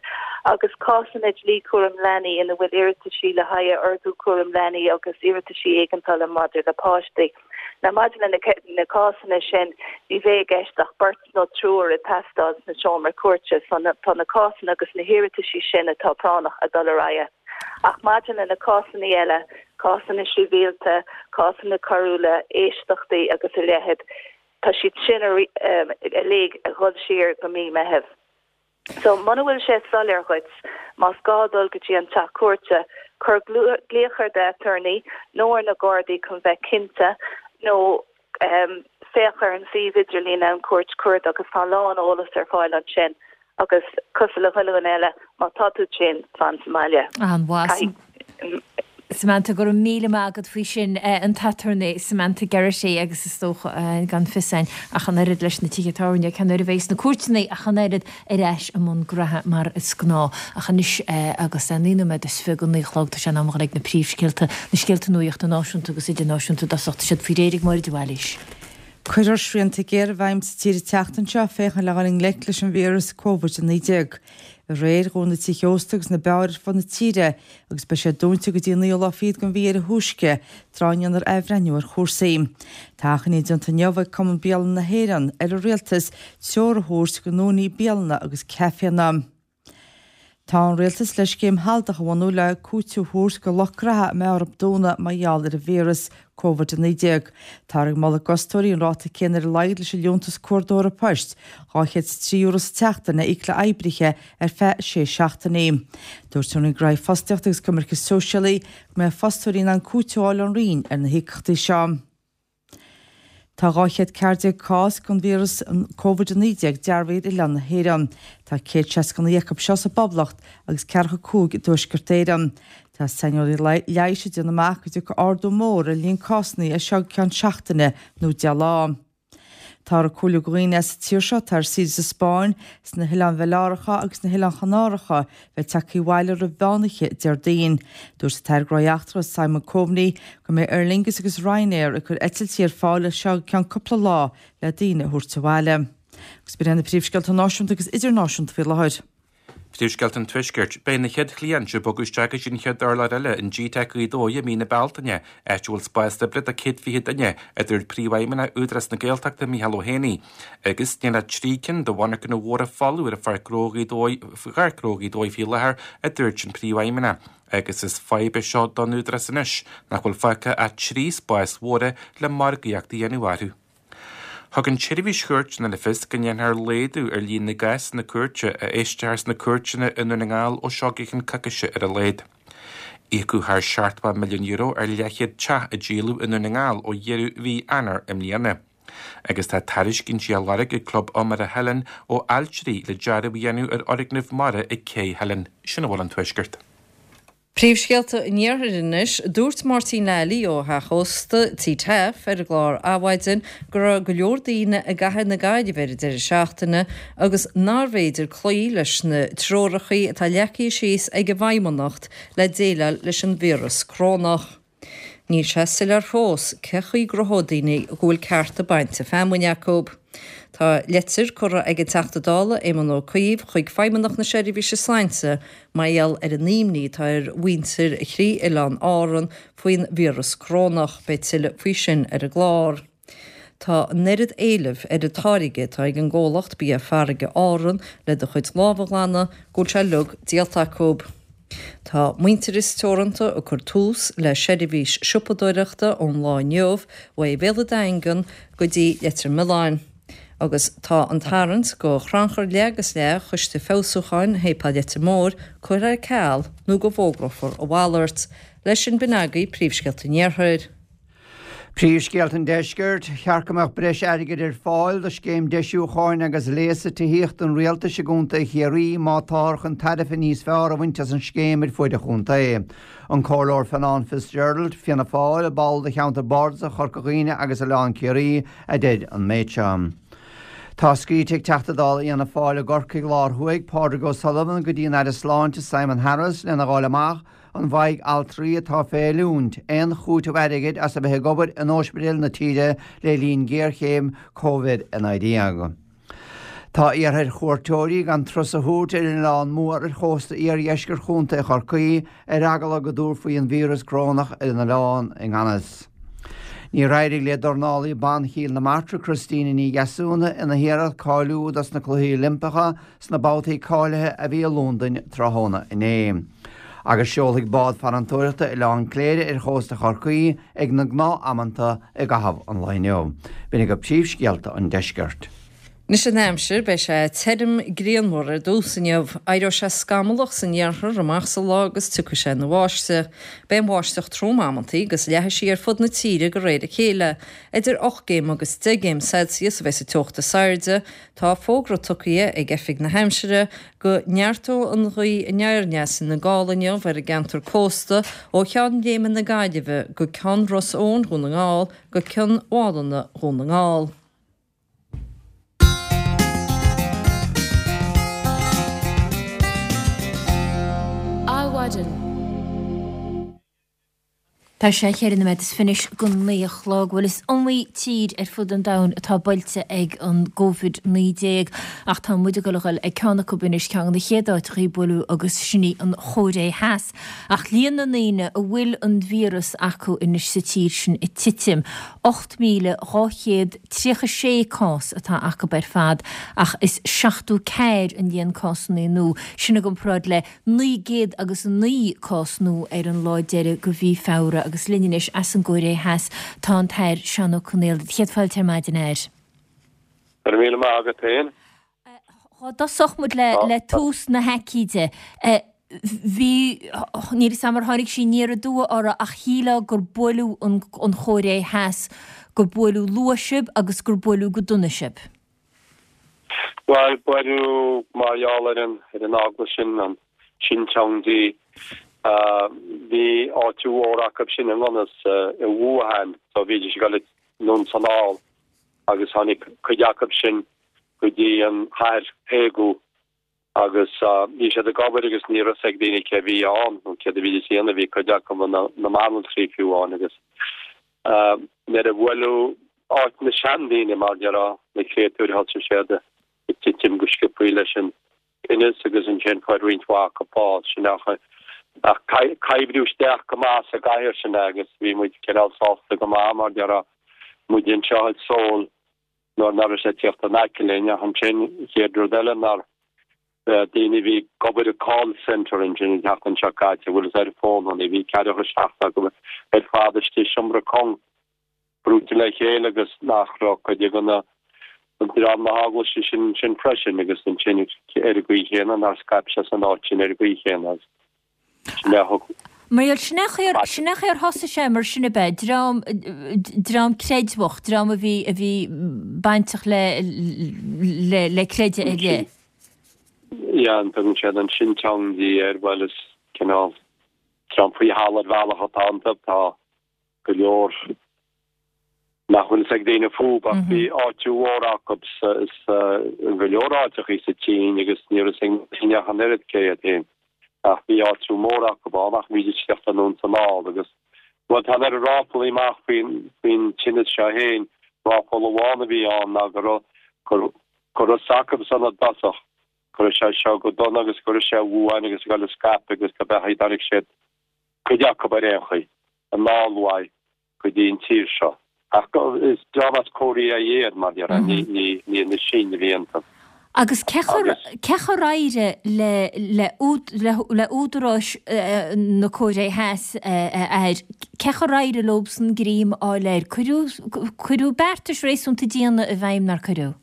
agus cásanna dlí cúram leanaí ina bhfuil iarrataisí le haghaidh ordú cúram leanaí agus iarrataisí éigeandála maidir le páistí. Now maidir le na cásanna sin, ní bheidh i gceist ach beirt nó triúr ag teastáil sna seomra cúirte, so tá na cásanna agus na hiarrataisí sin atá práinneach ag dul ar aghaidh. Ach maidir le na cásanna eile, cásanna sibhialta, cásanna coiriúla, éisteachtaí agus a leithéid, tá siad sin uilig ag dhul siar go mí Meithimh. So, muna bhfuil sé soiléir dhuit, más gá dul go dtí an teach cúirte, cuir glaoch ar d'aturnae nó ar na Gardaí chun bheith cinnte, nó féach ar an suíomh idirlín An Cúirt Cuarda agus tá a lán eolas ar fáil ansin. Agus cosúil le chuile dhuine eile, má tá tú tinn, fan sa mbaile. An-mhaith. Samantha, go raibh míle maith agat faoi sin. An t-aturnae Samantha Geraghty agus is dócha, gan fios a'inn ach an oiread leis na tithe tábhairne, cén uair a bheidh na cúirteanna ach an oiread ar ais i mbun graithe mar is gnáth. Ach anois agus é 29 nóiméad go 9 a chlog, tá sé in am a dhul ag na príomhscéalta, na scéalta nuachta náisiúnta agus idirnáisiúnta i dtosach. Tá siad faoi réir ag Máire de Bhailís. Cuirfear srianta géara i bhfeidhm sa tír an tseachtain seo féachaint le dhul i ngleic leis an víreas Covid-19. Aréir dhún na tithe ósta agus na beáir ar fud na tíre agus beidh siad dúnta go dtí an naoú lá fichead den mhí ar a thúisce, tráth a ndéanfar athbhreithniú ar chúrsaí. Tá achainí déanta inniu ag Cumann Bialanna na hÉireann ar an Rialtas treoir a thabhairt go n-úinéirí bialanna agus caiféanna. Tá an Rialtas le scéim shealadach a bhunú le cúiteamh a thabhairt go lucht graithe a mbeidh orthu dúnadh mar gheall ar an víreas Covid-19. Táthar ag moladh d'fhostóirí an ráta céanna ar a laghad leis an Liúntas Cuardaitheora Poist, €203 sa tseachtain, a íoc le oibrithe ar feadh sé seachtainí. Dúirt an Roinn Gnóthaí Fostaíochta agus Coimirce Sóisialaí go mbeidh fostóirí in ann cúiteamh a fháil ón Roinn ar na híocaíochtaí seo. Tá 214 cás den víreas Covid-19 dearbhaithe ar oileán na hÉireann. Tá 169 acu seo sa bPoblacht agus 45 i dTuaisceart Éireann. Tá saineolaithe leighis ag déanamh amach go dtiocfaidh ardú mór ar líon cásanna as seo go ceann seachtaine nó 10 lá. Táthar ag comhairliú do dhaoine as an tír seo atá ar saoire sa Spáinn, sna hOileáin Bhaileáracha agus sna hOileáin Chanáracha bheith tagtha abhaile roimh mheánoíche Déardaoin. Dúirt an tAire Gnóthaí Eachtracha Simon Coveney go mbeidh Aer Lingus agus Ryanair ag cur eitiltí ar fáil as seo go ceann cúpla lá le daoine a thabhairt abhaile. Agus b'in iad na príomhscéalta náisiúnta agus idirnáisiúnta faoi láthair. Príomhscéalta an Tuaiscirt. Beidh na chéad chliaint ag bogadh isteach go dtí an chéad urlár eile in GTeic Ghaoth Dobhair i mí na Bealtaine, áit a bhfuil spás oibre do 120 duine, a dúirt Príomhfheidhmeannach Údarás na Gaeltachta Micheál Ó hÉanaí. Agus níl ach 3 cinn de mhonarchana mhóra folamh ar Pháirc Ghnó Ghaoth Dobhair, Pháirc Ghnó Ghaoth Dobhair faoi láthair, a dúirt an Príomhfheidhmeannach. Agus is fadhb é seo don Údarás anois nach bhfuil fágtha ach 3 spás mhóra le margaíocht a dhéanamh orthu. Thug an tSeirbhís Chúirteanna le fios go ndéanfar laghdú ar líon na gcásanna cúirte a éistfear sna cúirteanna i nDún na nGall ó seo go ceann coicíse ar a laghad. Íocadh thar €70 milliún ar leathchéad teach a díoladh i nDún na nGall ó dheireadh mhí Eanáir i mbliana. Agus tá tairiscintí á lorg ag Club Iomaire Theilinn ó ailtirí le dearadh a dhéanamh ar fhoirgneamh mara ag Cé Theilinn. Sin a bhfuil ón Tuaisceart. Príomhscéalta an Iarthair anois. Dúirt Máirtín Lally ó theach ósta Tí Taaffe ar an gclár Adhmhaidin go raibh go leor daoine i gcathair na Gaillimhe ar an deireadh seachtaine agus nárbh fhéidir cloí leis na treorachaí atá leagtha síos ag an bhFeidhmeannacht le déileáil leis an víreas corónach. Níl sé soiléir fós cé chaoi gcruthóidh daoine go bhfuil cearta bainte feamainne acu. Tá leitir curtha ag an Teachta Dála Éamon Ó Cuív chuig Feidhmeannacht na Seirbhíse Sláinte mar gheall ar an imní atá ar mhuintir thrí oileán Árann faoin víreas corónach. Beidh tuilleadh faoi sin ar an gclár. Tá an oiread éilimh ar an táirge atá ag an gcomhlacht bia farraige Árann le do chuid lámh a ghlanadh go bhfuil sé uilig díolta acu. Tá Muintearas Teoranta ag cur tús le seirbhís siopadóireachta ón lá inniu uaidh Bhéal an Daingean go dtí Leitir Mealláin. Agus tá an tarraingt go chrannchur leath agus leath Choiste Feabhsúcháin Shéipéal Leitir Móir curtha ar ceal nó go bhfógrófar a mhalairt. Leis sin b'in agaibh príomhscéalta an Iarthair. Príomhscéalta an Deiscirt, Cheart go mbeadh breis airgid ar fáil do scéim deisiúcháin agus léasa tithíochta an Rialtais i gContae Chiarraí má táthar chun tairbhe níos fearr a bhaint as an scéim ar fuaid an chontae. An Comhairleoir Fionán Fitzgerald, Fianna Fáil, ball de cheantar bardasach Chorca Dhuibhne agus Oileán Ciarraí, a deir an méid seo. Tá scríte ag Teachta Dála Fhianna Fáil i gCorcaigh Lár Thuaidh, Pádraig O'Sullivan go dtí an Aire Sláinte Simon Harris lena dh'fháil amach An bhfaighidh altraí atá fé oiliúint aon chúiteamh airgid as a bheith ag obair in óispidéil na tíre le linn géarchéim Covid-19? Tá iarrtha ar chuairteoirí gan turas a thabhairt ar an Oileán Mór ar chósta iardheisceart Chontae Chorcaí ar eagla go dtabharfaí an víreas corónach ar an oileán i ngan fhios. Níor éirigh le dornálaí ban Chill na Martra Christina Ní Dheasúna ina hiarracht cáiliú dos na Cluichí Oilimpeacha sna babhtaí cáilithe a bhí i Londain tráthnóna inné. Agus seolfaidh bád farantóireachta Oileán Cléire ar chósta Chorcaí ag na gnáth-amanta i gcaitheamh an lae inniu. B'in agaibh príomhscéalta an deiscirt. Anois an aimsir, beidh sé tirim grianmhar ar dtús inniu. Éireoidh sé scamallach san iarthar amach sa lá agus tiocfaidh sé ina bháisteach. Beidh an bháisteach trom amantaí agus leathfaidh sí ar fud na tíre de réir a chéile. Idir 8 gcéim agus 10 gcéim Celsius a bheidh sa teocht is airde. Tá fógra tugtha ag Oifig na hAimsire go neartóidh an ghaoth aniar aneas ina gála inniu ar an gceantar cósta ó Cheann Léime na Gaillimhe go Ceann Ros Eoin Dhún na nGall go Cionn Mhálanna Dhún na nGall. Adhmhaidin. Tá sé cheithre nóiméad is fiche go 9 a chlog. Bhuel, is iomaí tír ar fud an domhain atá buailte ag an gCovid-19 ach tá muid ag dul a dhul ag ceann acu anois, ceann de na chéad áiteachaí a buaileadh agus sin í an Chóiré Theas. Ach líon na ndaoine a bhfuil an víreas acu anois sa tír sin ag titim. 8,236 cás atá acu ar fad ach is 74 an líon cásanna nua, sin i gcomparáid le 909 cás nua ar an lá deiridh de mhí Feabhra agus linn anois as an gCóiré Theas tá an tAire Seán Ó Conghaile. Céad fáilte ar maidin, a Aire. Go raibh míle maith agat féin. Dhá dtosódh muid le tús na haicíde, bhí, níl 'fhios a'm ar tháinig sí aniar aduaidh oraibh ach shílfeá gur buaileadh an Chóiré Theas, gur buaileadh luath sibh agus gur buaileadh go dona sibh. Bhuel, buaileadh mar gheall ar an, ar an eaglais sin, an Shincheonji. Bhí áitiú mhór acu sin i ngan fhios, i Wuhan, so bhídís ag dul anonn 's anall agus tháinig cuid acu sin go dtí an chathair Daegu agus bhí siad ag obair agus ní raibh fhios ag daoine cé bhí ann nó céard a bhídís a dhéanamh, bhí cuid acu ina mbanaltraí fiú ann agus nuair a bhuaileadh áit na seandaoine mar déarfá, na créatúir thosaigh siad ag titim go sciobthaí leis an tinneas agus ansin fuair roinnt mhaith acu bás, sin ach ach oibríodh isteach go maith sa gcathair sin é agus bhí muid cineál sásta go maith mar déarfá, muid anseo i Seoul. nuair nach raibh sé ag tíocht in aice linn ach ansin chéad rud eile ná daoine a bhí ag obair i call centre ansin an tseachtain seo caite bhfuil fhios ar fónanna bhí ceathracha 7 acu ar fad istigh i seomra cúng brúite le chéile agus nach raibh cuid de na dream na heaglaise sin ansin freisin agus ansin ar an gcaoi chéanna nár scaip sé san áit sin ar an gcaoi chéanna agus Sin é a thug. Mar gheall, sin é an chaoi, sin é an chaoi ar thosaigh sé mar sin ab ea? Dream, dream creidmheach, dream a bhí, a bhí bainteach le, le, le creideamh ar leith. Yeah, an dtugann siad an Shincheonji air, bhuel is cineál dream faoi thalamh ar bhealach atá iontu, tá go leor nach bhfuil fhios ag daoine fúthu ach bhí áitiú mhór acu sa go leor áiteachaí sa tSín agus ní raibh fhios ag daoine ach an oiread cé iad féin ach bhí áitiú mór acu ann ach bhídís ag tíocht anonn 's anall agus bhuel tá an oiread ráflaí amach faoin faoin tinneas seo féin ráfla amháin a bhí ann ná go raibh gur go raibh fhios acu san i dtosach go raibh sé seo go dona agus go raibh sé i Wuhan agus ag dul ag scaipeadh agus go beathaí tháinig siad cuid acu ar aon chaoi anall uaidh go dtí an tír seo. Ach is dream as Korea iad, mar déarfá, ní na Sín a bhí iontu. Agus cé chomh éirigh le le údaráis na Cóiré Theas, a Athair, cé chomh éirigh leobsan greim a fháil air? Cuireadh cuireadh beartais réasúnta diana i bhfeidhm, nár cuireadh?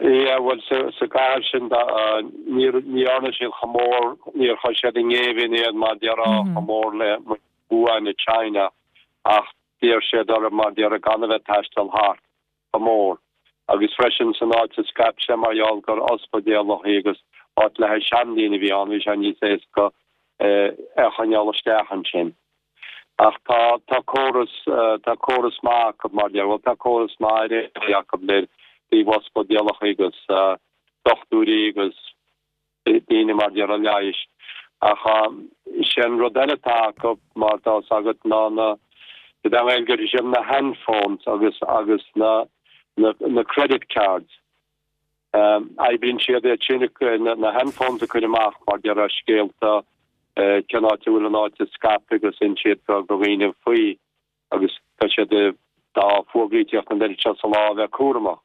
Yeah, bhuel, sa gcathair sin, ní dhearna siad chomh mór, níor chuir siad i ngéibheann iad mar déarfá chomh mór le Wuhan i China ach d'iarr siad orthu mar déarfá gan a bheith ag taisteal thart chomh mór. Agus freisin san áit a scaip sé mar gheall gur ospidéalachaí agus áit le haghaidh seandaoine a bhí ann bhí sé níos éasca é a choinneáil isteach ansin. Ach tá tá córas tá córas maith acu mar déarfá bhuel tá córas maith ar aon chaoi acu le taobh ospidéalachaí agus dochtúirí agus daoine mar déarfá leighis. Ach sé an rud eile atá acu mar tá fhios agat ná na i nGaeilge is iad na handphones agus agus na na na credit cards. Oibríonn siad iad sin na handphones a chur amach mar déarfá scéalta cén áit a bhfuil an áit ag scaipeadh agus insíonn siad do dhaoine faoi. agus tá siad dá bhfógraíteacht an oiread seo sa lá a bheith cúramach.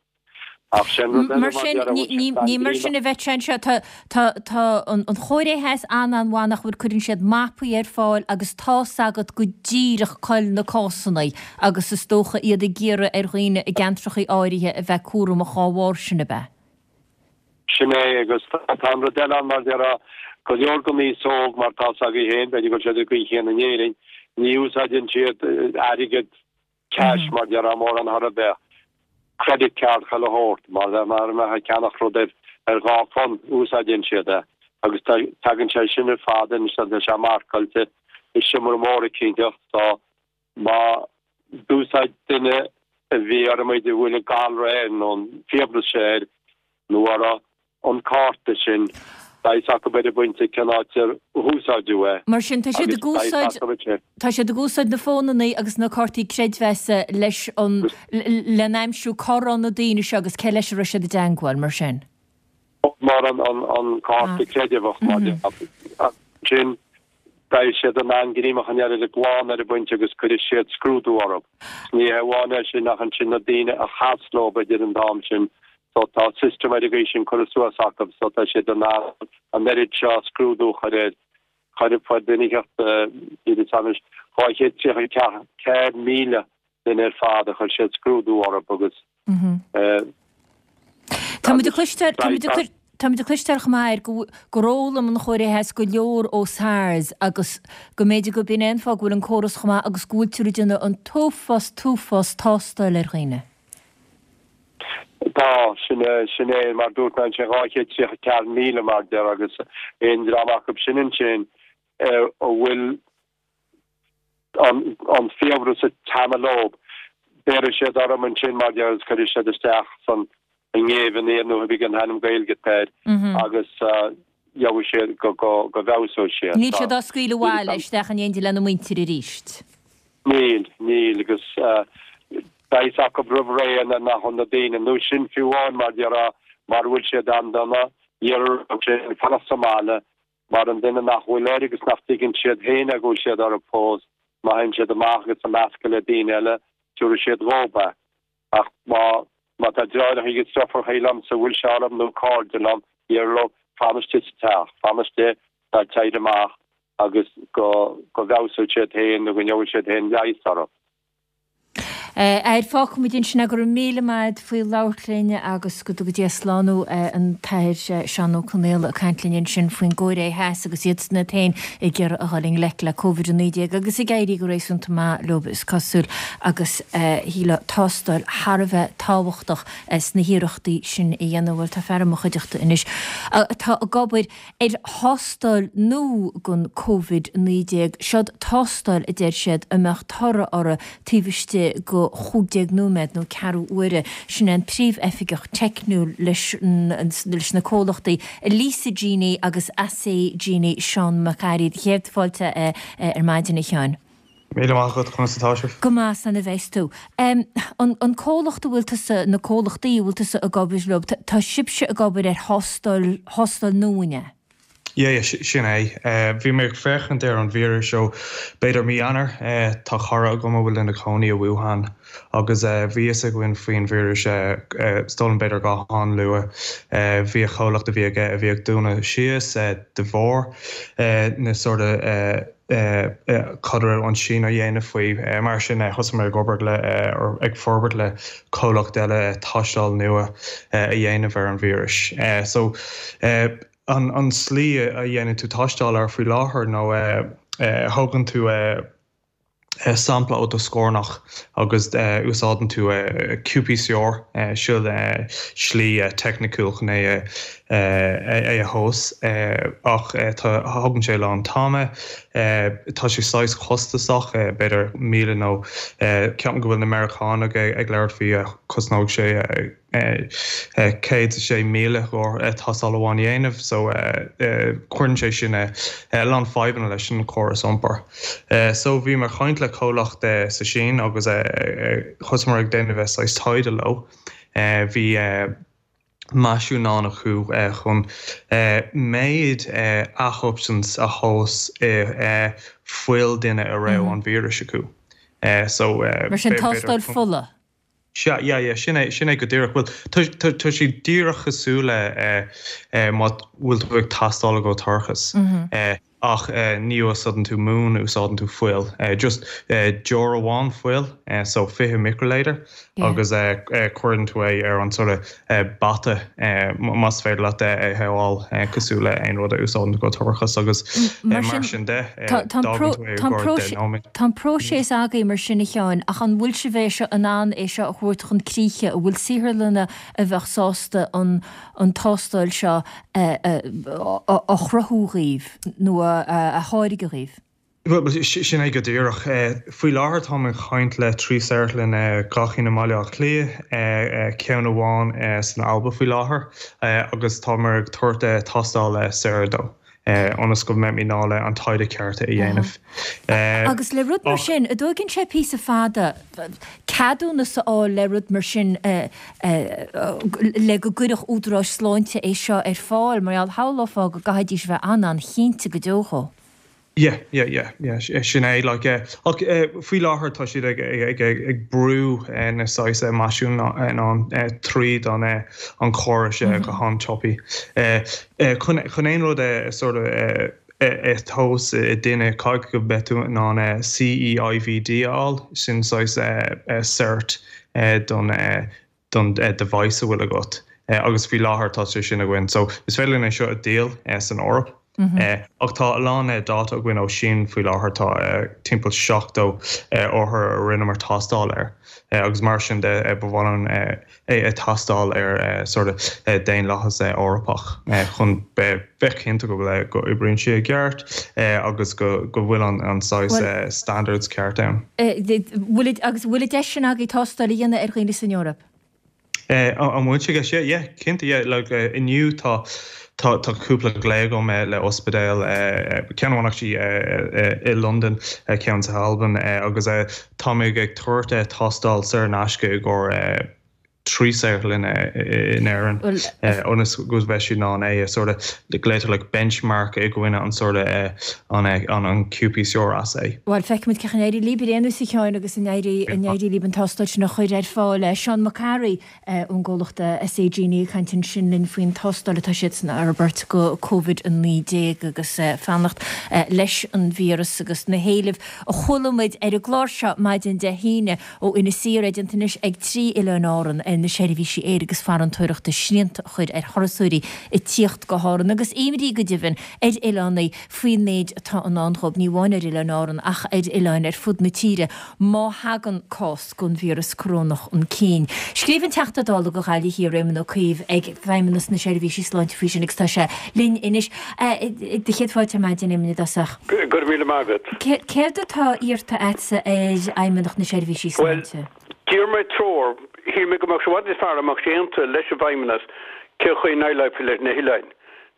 Ach sin rud eile Mar sin, ní mar sin a bheadh sé anseo. Tá tá an Chóiré Theas an-an-mhaith nach bhfuil, cuireann siad mapaí ar fáil agus tá's agat go díreach cá bhfuil na cásanna agus is dócha iad ag iarraidh ar dhaoine i gceantrachaí áirithe a bheith cúramach dhá bharr sin, ab ea? Sin é, agus tá an rud eile ann mar déarfá, go leor den aos óg, mar tá 's agaibh féin, b'fhéidir go bhfuil siad ar an gcaoi chéanna in Éirinn, ní úsáideann siad airgead cash mar déarfá mórán chor ar bith, credit card chuile shórt, mar mar a mbeifeá ag ceannach rud ar ar £2, úsáideann siad é. Agus tá, tagann sé sin ar fad anois, tá sé marcáilte i seomra mór eicínteacht, so Má d'úsáid duine a bhí ar a mb'fhéidir bhfuil an galra air nó an fiabhras sé air nó orthu an cárta sin, beidh fhios acu ar an bpointe cén áit ar húsáideadh é Mar sin, tá siad agus ag beidh fhios úsáid, acu ansin. tá siad ag úsáid na fónannaí agus na cártaí creidmheasa leis an, lena aimsiú cá raibh na daoine seo agus cé leis a raibh siad i dteangmháil, mar sin. Mar an, an cárta creidmheasa mar sin. Beidh siad in ann greim a choinneáil ar an gclann ar an bpointe agus cuirfidh siad scrúdú orthu. Ní hé amháin é sin ach ansin na daoine a chas leo idir an t-am sin so tá system ar an gcaoi sin curtha suas acu so tá siad in ann an oiread seo scrúdú a chur ar chuir fuair duine inteacht níl fhios a'm anois 234,000 duine ar fad a chuir siad scrúdú orthu agus Táimid ag cloisteáil, táimid ag, táimid ag cloisteáil chomh maith air go, gur fhoghlaim an Chóiré Theas go leor ó SARS agus go mb'fhéidir go b'in é an fáth go bhfuil an córas chomh maith agus go bhfuiltear ag déanamh an t-uafás, t-uafás tástáil ar dhaoine. Tá, sin é, sin é, mar dúirt mé ansin, 234,000 mar deir agus aon dream acu sin ansin a bhfuil an fiabhras ag teannadh leo. Béarfaidh siad orthu ansin mar deir agus cuirfidh siad isteach san i ngéibheann iad nó cibé cén t-ainm Gaeilge atá air agus gheobhaidh siad go go go bhfeabhsóidh siad. Níl siad á scaoileadh abhaile isteach in éindí lena muintir arís. Níl, níl agus beidh fhios acu roimh ré nach bhfuil na daoine, nó sin fiú amháin mar déarfá, mara bhfuil siad an-dona, iarrtar orthu sin fanacht sa mbaile Mar an duine nach bhfuil air agus nach dtuigeann siad féin é go bhfuil siad orthu fós, má théann siad amach agus ag meascadh le daoine eile, tabharfaidh siad dhób é. Ach má má tá deartháireacha agus deirfiúracha liomsa a bhfuil sé orthu nó cairde liom, déarfainn leo, fan istigh sa teach, fan istigh, ná téir amach agus go go bhfeabhsóidh siad féin nó go ngeobhaidh siad féin leigheas orthu. Athair, fágfaimid ansin é, go raibh míle maith agat faoi labhairt linn agus go dtuga Dia slán thú, an tAthair Seán Ó Conaola ag caint linn ansin faoin gCóiré Theas agus iadsan iad féin ag iarraidh a dhul i ngleic le Covid-19 agus ag éirí go réasúnta maith leo is cosúil agus shílfeá tástáil thar a bheith tábhachtach sna hiarrachtaí sin a dhéanamh. Bhuel tá fear i mo chuideachta anois atá ag obair ar thástáil nua don Covid-19. Seod tástáil, a deir siad, a mbeadh toradh orthu taobh istigh de 15 nóiméad nó ceathrú uaire. Sin é an Príomh-Oifigeach Teicniúil leis leis na comhlachtaí Elisa Genie agus Assay Genie, Seán Mac Fhearraigh. Céad fáilte ar maidin, a Sheáin. Míle maith agat, conas atá sibh? Go maith, 's ana bheas tú. An comhlacht a bhfuil tusa, na comhlachtaí a bhfuil tusa ag obair leo, tá sibhse ag obair ar thástáil, thástáil nua, an ea? Yeah, yeah, sin é. Bhí mé ag féachaint ar an víreas ó b'fhéidir mí Eanáir. Tá cara agam a bhfuil ina cónaí i Wuhan agus bhí fhios againn faoin víreas is dóigh liom b'fhéidir go han-luath. Bhí a chomhlacht a bhí aige a bhí ag dúnadh síos de bharr na sort of cad a raibh an tSín á dhéanamh faoi. Mar sin thosaigh mé ag obair le or ag forbairt le comhlacht eile tástáil nua a dhéanamh ar an víreas. So An tslí a dhéanann tú tástáil air faoi láthair nó thógann tú sampla ó do scornach agus úsáideann tú qPCR, sin slí teicniciúil chun é a thomhas ach thógann sé a lán t-ama, tá sé saghas costasach, b'fhéidir 1,000 nó ceapaim go bhfuil na Meiriceánaigh ag labhairt faoi cosnóidh sé 106,000 i gcomhair tástáil amháin a dhéanamh so cuireann sé sin a lán fadhbanna leis an chóras iompair. So bhí mé ag caint le comhlacht sa Sín agus thosaíomar ag déanamh saghas taighde leo. Bhí meaisín acu chun méid a shubstance a thomhas i fuil duine a raibh an víreas acu. So Mar sin tástáil fola? Sea, yeah, yeah, sin é, sin é go díreach. Bhuel, tá, tá, tá sé díreach cosúil le eh, eh, má bhfuil tú ag tástáil i gcomhair toircheas, eh, ach eh, ní úsáideann tú mún, úsáideann tú fuil. Eh, just eh, deoir amháin fuil, eh, so 20 microlitre, Yeah. agus eh, eh, cuireann tú é ar an sort of eh, bata, eh, más féidir leat é a shamháil, eh, cosúil le aon rud a úsáideann tú i gcomhair toircheas agus eh, Mar sin de, eh, Tá, tá an d'fhágann pró, tú é i tá an gcomhair 10 nóiméad. Tá an próiseas agaibh mar sin a Sheáin, ach an bhfuil sibh é seo in ann é seo a thabhairt chun críche? An bhfuil saotharlanna a bheadh sásta an an tástáil seo a chruthú dhaoibh nó a tháirgeadh dhaoibh? Bhuel, sin é go díreach. Faoi láthair táim ag caint le 3 saotharlann, 2 chinn i mBaile Átha Cliath, ceann amháin san Alba faoi láthair agus táimid ag tabhairt tástáil saor dó. ionas go mbeimid in ann an taighde ceart a dhéanamh. Agus le rud mar sin, an dtóigeann sé píosa fada ceadúnas a fháil le rud mar sin le go gcuirfeadh údaráis sláinte é seo ar fáil, mar gheall, shamhlófá go gcaithfidís a bheith an-an-chinnte go deo dhó. Yeah, yeah, yeah, yeah, sin é, like, ach faoi láthair tá siad ag, ag, ag, ag brú na saghas meaisíneanna tríd an, an chóras go han-tapaidh. Chun, chun aon rud a sort of a thomhas i duine, caithfidh go mbeidh tú in ann CE-IVD a fháil, sin saghas cert don, don device a bhfuil agat agus faoi láthair tá sé sin againn. So is féidir linn é seo a dhíol san Eoraip ach tá a lán data againn ó Sín faoi láthair, tá timpeall 70 othar a rinneamar tástáil air agus mar sin de ba mhaith linn é a tástáil ar sort of daonlathas Eorpach chun bheith cinnte go bhfuil go oibríonn sé i gceart agus go go bhfuil an saghas standards ceart ann. Bhfuil agus bhfuil an deis sin agaibh tástáil a dhéanamh ar dhaoine san Eoraip? An bhfuil sé i gceist? Yeah, yeah, cinnte, yeah. Like, inniu tá tá tá cúpla glao agam le ospidéal, ceann amháin actually i Londain, ceann sa Albain agus tá mé ag tabhairt tástáil saor in aisce i gcomhair 3 saotharlann in Éirinn ionas go mbeidh siad in ann é a sort of glaoitear like benchmark i gcoinne an sort of an an qPCR assay. Bhuel, feicfimid cén chaoi a n-éireoidh libh ar aon nós a Sheáin agus an n-éireoidh libh an tástáil sin a chur ar fáil. Seán Mac Fhearraigh ón gcomhlacht SA Genie ag caint ansin linn faoin tástáil atá siadsan a fhorbairt go Covid-19 agus fanacht leis an víreas agus na héilimh a chuala muid ar an gclár seo maidin Dé hAoine. Ó Inis Oírr, é déanta anois ag 3 oileán Árann ar na seirbhísí aeir agus farantóireachta srianta a chur ar thurasóirí ag tíocht go hÁrann agus imní go deimhin ar oileánaigh faoin méid atá i ndán dhóibh, ní amháin ar Oileáin Árann ach ar oileáin ar fud na tíre má thagann cás den víreas corónach chun cinn. Scríobh an Teachta Dála do Ghaillimh Thiar, Éamon Ó Cuív, ag Feidhmeannas na Seirbhísí Sláinte faoi sin agus tá sé linn anois. Do chéad fáilte ar maidin, Éamoin, i dtosach. Go raibh míle maith agat. Céard atá iarrta agatsa ar Fheidhmeannacht na Seirbhísí Bhuel, Sláinte? d'iarr mé treoir. Shíl mé go mbeadh sé i bhfad níos fearr dá mbeadh sé aontaithe leis an bhFeidhmeannas cén chaoi a ndéileálfaí leis na hoileáin.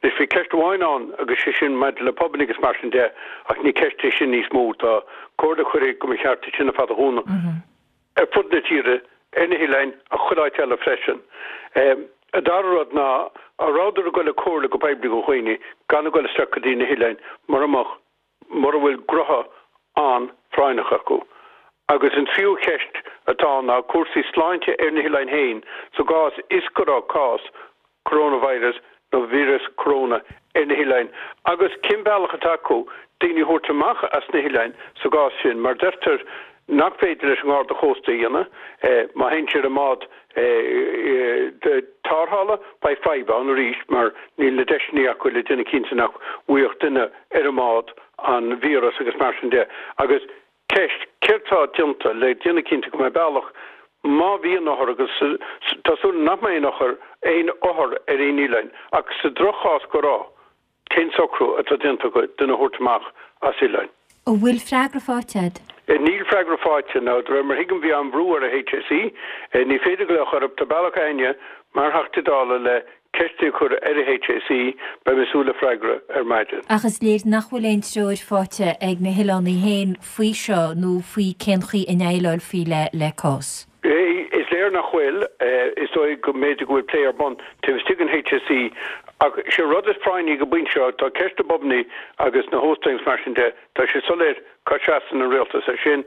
Anois, bhí ceist amháin ann agus sé sin maidir le pubanna agus mar sin de ach ní ceist é sin níos mó. Tá comhairle curtha go mba cheart iad sin ar fad a dhúnadh ar fud na tíre, ar na hoileáin ach chuile áit eile freisin. An dara rud ná, an rabhadar ag dul ag comhairle go poiblí go dhaoine gan a dhul isteach go dtí na hoileáin mura mbeadh, mura bhfuil gnotha an-phráinneach acu. Agus an tríú cheist atá ann ná cúrsaí sláinte ar na hoileáin féin sa gcás is go raibh cás coronavirus nó víreas corona ar na hoileáin agus cén bealach atá acu daoine a thabhairt amach as na hoileáin sa gcás sin mar deirtear nach féidir leis an nGarda Chósta a dhéanamh. Má théann siad i mbád tarrthála beidh fadhb ann arís mar níl na deiseanna acu le déanamh cinnte nach bhfaigheadh duine ar an mbád an víreas agus mar sin de. Agus Ceist, Céard tá déanta le déanamh cinnte go mbeidh bealach má bhíonn othar agus tá súil agam nach mbeidh aon othar aon othar ar aon oileáin ach sa droch-chás go raibh, cén socrú atá déanta acu duine a thabhairt amach as oileáin? An bhfuil freagra faighte agat? Níl freagra faighte. Now, de réir mar thuigim bhí an-bhrú ar an HSE. Ní féidir glaoch orthu. Tá bealach againne mar Theachtaí Dála le Ceist a chur ar an HSE, beidh mé ag súil le freagra ar maidin. Ach is léir nach bhfuil aon treoir faighte ag na hoileánaigh féin faoi seo nó faoi cén chaoi a ndéileálfaí le cás. Is léir nach bhfuil. Is dóigh go mb'fhéidir go bhfuil plé ar bun taobh istigh den HSE ach sé rud is práinní ag an bpointe seo, tá ceist na bpubannaí agus na hóstáin agus mar sin de, tá sé soiléir cá seasann an rialtas ar sin.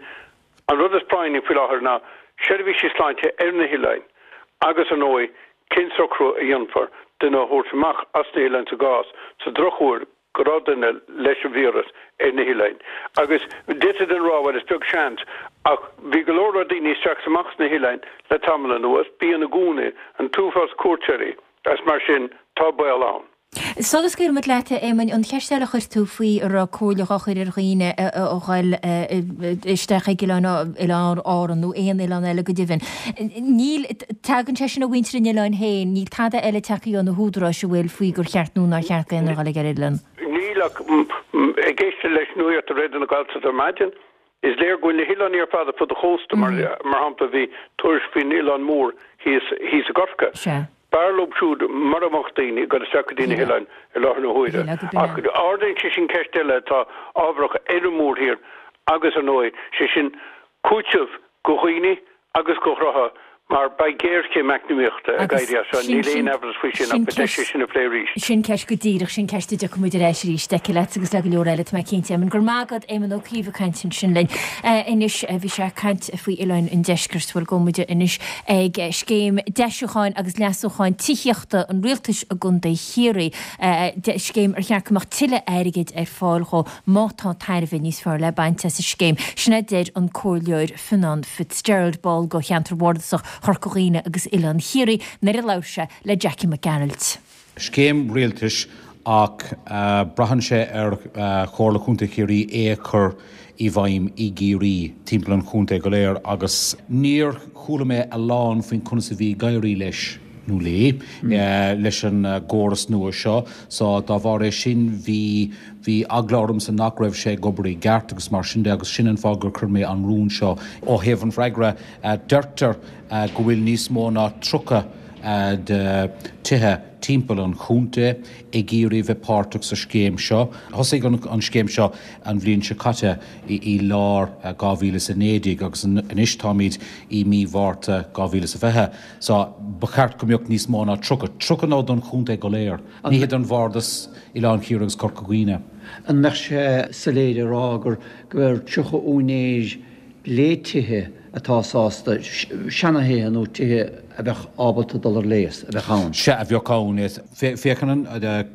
An rud is práinní faoi láthair ná seirbhísí sláinte ar na hoileáin agus, ar ndóigh, Cén socrú a dhéanfar duine a thabhairt amach as na hoileáin sa gcás, sa drochuair, go raibh duine leis an víreas ar na hoileáin? Agus d'fhéadfadh duine a rá, bhuel, is beag seans, ach bhí go leor leor daoine isteach is amach sna hoileáin le tamall anuas, bíonn i gcónaí, an t-uafás cuairteoirí, agus mar sin, tá baol ann. Sula scaoilfidh muid leat, a Éamoinn, an cheist eile a chuir tú faoi an raibh comhairle dhá chur ar dhaoine a dhul isteach ag oileán Oileáin Árann nó aon oileán eile go deimhin. Níl, tagann sé sin ó mhuintir an oileáin féin, níl tada eile tagtha ó na húdaráis an bhfuil faoi gur cheart nó nár cheart d'aon duine a dhul ag ar oileán. Níl ach ag éisteacht leis nuacht ar Raidió na Gaeltachta ar maidin, Is léir go bhfuil na hoileáin ar fad ar fud an chósta, mar shampla bhí tuairisc faoin Oileán Mór thíos thíos i gCorcaigh. B'fhearr leo siúd mura mbeadh daoine ag dul isteach go dtí na hoileáin i láthair na huaire. Ach ardaíonn sé sin ceist eile atá ábharach ar an mórthír agus, ar ndóigh, sé sin cúiteamh go dhaoine agus go gnóthaí mar beidh géarchéim eacnamaíochta ag éirí as seo, níl aon amhras faoi sin ach beidh deis é sin a phlé arís. Sin ceist go díreach, sin ceist a dtiocfaidh muid ar ais arís aici leat agus le go leor eile, tá mé cinnte. Éamonn, go raibh maith agat, Éamonn Ó Cuív ag caint ansin linn. Anois, bhí sé ag caint faoi oileáin an deiscirt, bhuel, gabhfaidh muid anois ag scéim deisiúcháin agus leasúcháin tithíochta an rialtais i gContae Chiarraí, scéim ar cheart go mbeadh tuilleadh airgid ar fáil dhó má tá tairbhe níos fearr le baint as an scéim. Sin a deir an Comhairleoir. Fionán Fitzgerald, ball de cheantar bhardasach Chorca Dhuibhne agus Oileán Chiarraí, nuair a labhair sé le Jackie Mac Gearailt. Scéim rialtais ach braitheann sé ar Chomhairle Chontae Chiarraí é a chur i bhfeidhm i gCiarraí, timpeall an chontae go léir agus níor chuala mé a lán faoin conas a bhí ag éirí leis, nó léi, leis an gcóras nua seo. So dá bharr é sin bhí, bhí eagla ormsa nach raibh sé ag obair i gceart agus mar sin de agus sin an fáth gur chuir mé an rún seo. Ó thaobh an fhreagra, deirtear go bhfuil níos mó ná 30 de tithe timpeall an chontae ag iarraidh bheith páirteach sa scéim seo. Thosaigh an scéim seo an bhliain seo caite i lár 2019 agus anois táimid i mí Mhárta 2020. So, ba cheart go mbeadh níos mó ná 30. 30 nó don chontae go léir. Ní hé don bhardas, Oileán Chiarraí agus Corca Dhuibhne. An mbeadh sé soiléir a rá gur gur 30 úinéir le tithe atá sásta, seanathithe nó tithe a bheadh ábalta dul ar léas, a bheadh ann? Sea, a bheadh ann. Féachann an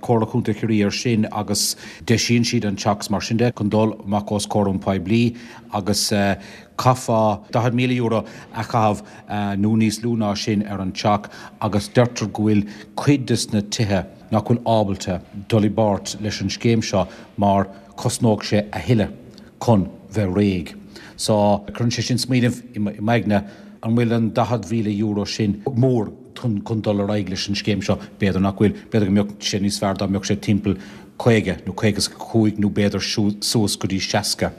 Comhairle Chontae Chiarraí air sin agus deisíonn siad an teach mar sin de chun dul amach os comhair an poiblí agus chaithfeá €40,000 a chaitheamh nó níos lú ná sin ar an teach agus deirtear go bhfuil cuid des na tithe nach bhfuil ábalta dul i bpáirt leis an scéim seo mar cosnódh sé a thuilleadh chun bheith réidh. So, cuireann sé sin smaoineamh i m'aigne, an bhfuil an €40,000 sin mór chun dul ar aghaidh leis an scéim seo? B'fhéidir nach bhfuil. B'fhéidir go mbeadh sé níos fearr dá mbeadh sé timpeall 50 nó 55 nó b'fhéidir suas go dtí 60.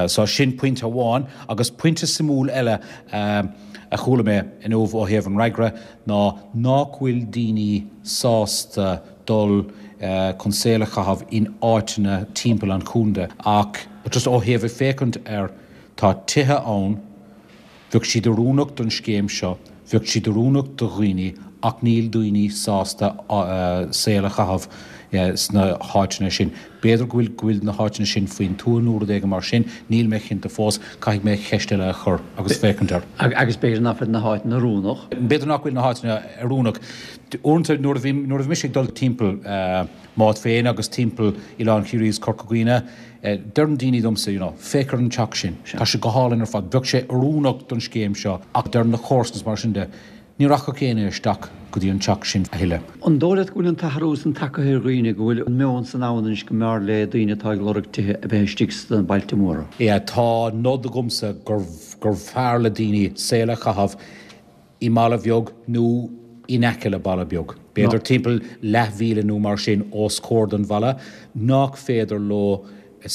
So sin pointe amháin. Agus pointe suimiúil eile a chuala mé inniu ó thaobh an fhreagra ná nách bhfuil daoine sásta dul chun saol a chaitheamh in áiteanna timpeall an chontae ach just ó thaobh ag féachaint ar tá tithe ann, Bheadh siad oiriúnach don scéim seo, bheadh siad oiriúnach do dhaoine ach níl daoine sásta saol a chaitheamh sna háiteanna sin. B'fhéidir go bhfuil go bhfuil na háiteanna sin faoin tuath nó rud éigin mar sin, níl mé cinnte fós, caithfidh mé ceist eile a chur agus féachaint air. Agus b'fhéidir nach bhfuil na háiteanna oiriúnach. B'fhéidir nach bhfuil na háiteanna oiriúnach. Uaireanta nuair a bhí nuair a bhí mise ag dul timpeall m'áit féin agus timpeall Oileán Chiarraí is Corca Dhuibhne, deireann daoine domsa, you know, féach ar an teach sin, tá sé go hálainn ar fad, bheadh sé oiriúnach don scéim seo ach deireann na comharsana is mar sin de, Ní rachadh éinne isteach go dtí an teach sin a thuilleadh. An dóigh leat go bhfuil an t-athrú san tagtha ar dhaoine, go bhfuil an meon san ann anois go mb'fhearr le daoine atá ag lorg tithe a bheith istigh sna bailte móra? Yeah, tá nod agamsa gurbh fearr le daoine saol a chaitheamh i mbaile bheag nó in aice le baile beag, b'fhéidir timpeall leathmhíle nó mar sin os comhair den bhaile, nach féidir leo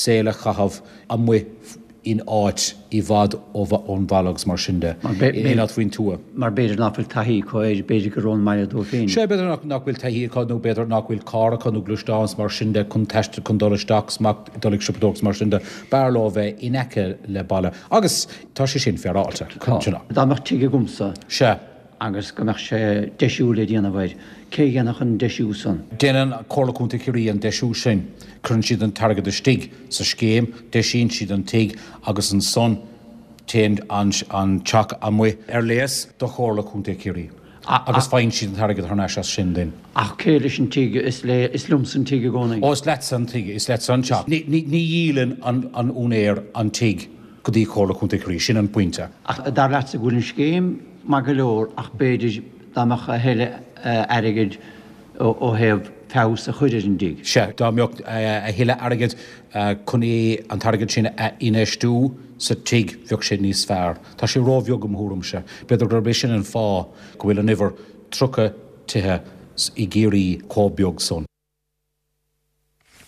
saol a chaitheamh amuigh in áit i bhfad ón bhaile agus mar sin de, in áit faoin tuath. Mar b'fhéidir nach bhfuil taithí acu air, b'fhéidir gur ón mbaile dóibh féin. Sea, b'fhéidir nach bhfuil taithí acu nó b'fhéidir nach bhfuil carr acu nó gluaisteán is mar sin de chun taisteal, chun dul isteach is amach, dul ag siopadóireacht is mar sin de. B'fhearr leo a bheith in aice le baile agus tá sé sin féaráilte. Tá. Dá mbeadh tigh agamsa. Sea. agus go mbeadh sé deisiú le déanamh air, cé a dhéanfadh an deisiú san? Déanann Comhairle Contae Chiarraí an deisiú sin. Cuireann siad an t-airgead istigh sa scéim, deisíonn siad an tigh agus ansan téann an teach amuigh ar léas do Chomhairle Contae Chiarraí agus faigheann siad an t-airgead thar n-ais as sin then. Ach cé leis an tigh? Is le, is liomsa an tigh i gcónaí. Ó, is leatsa an tigh, is leatsa an teach. Ní dhíolann an úinéir an tigh go dtí Comhairle Contae Chiarraí, sin an pointe. Ach dar leatsa go bhfuil an scéim maith go leor ach b'fhéidir dá mbeadh a thuilleadh airgid ó thaobh feabhas a chur ar an dtigh. Sea, dá mbeadh a thuilleadh airgid chun é, an t-airgead sin a infheistiú sa tigh, bheadh sé níos fearr. Tá sé róbheag i mo thuairimse. B'fhéidir gurb é sin an fáth go bhfuil an uimhir 30 tithe i gCiarraí chomh beag san.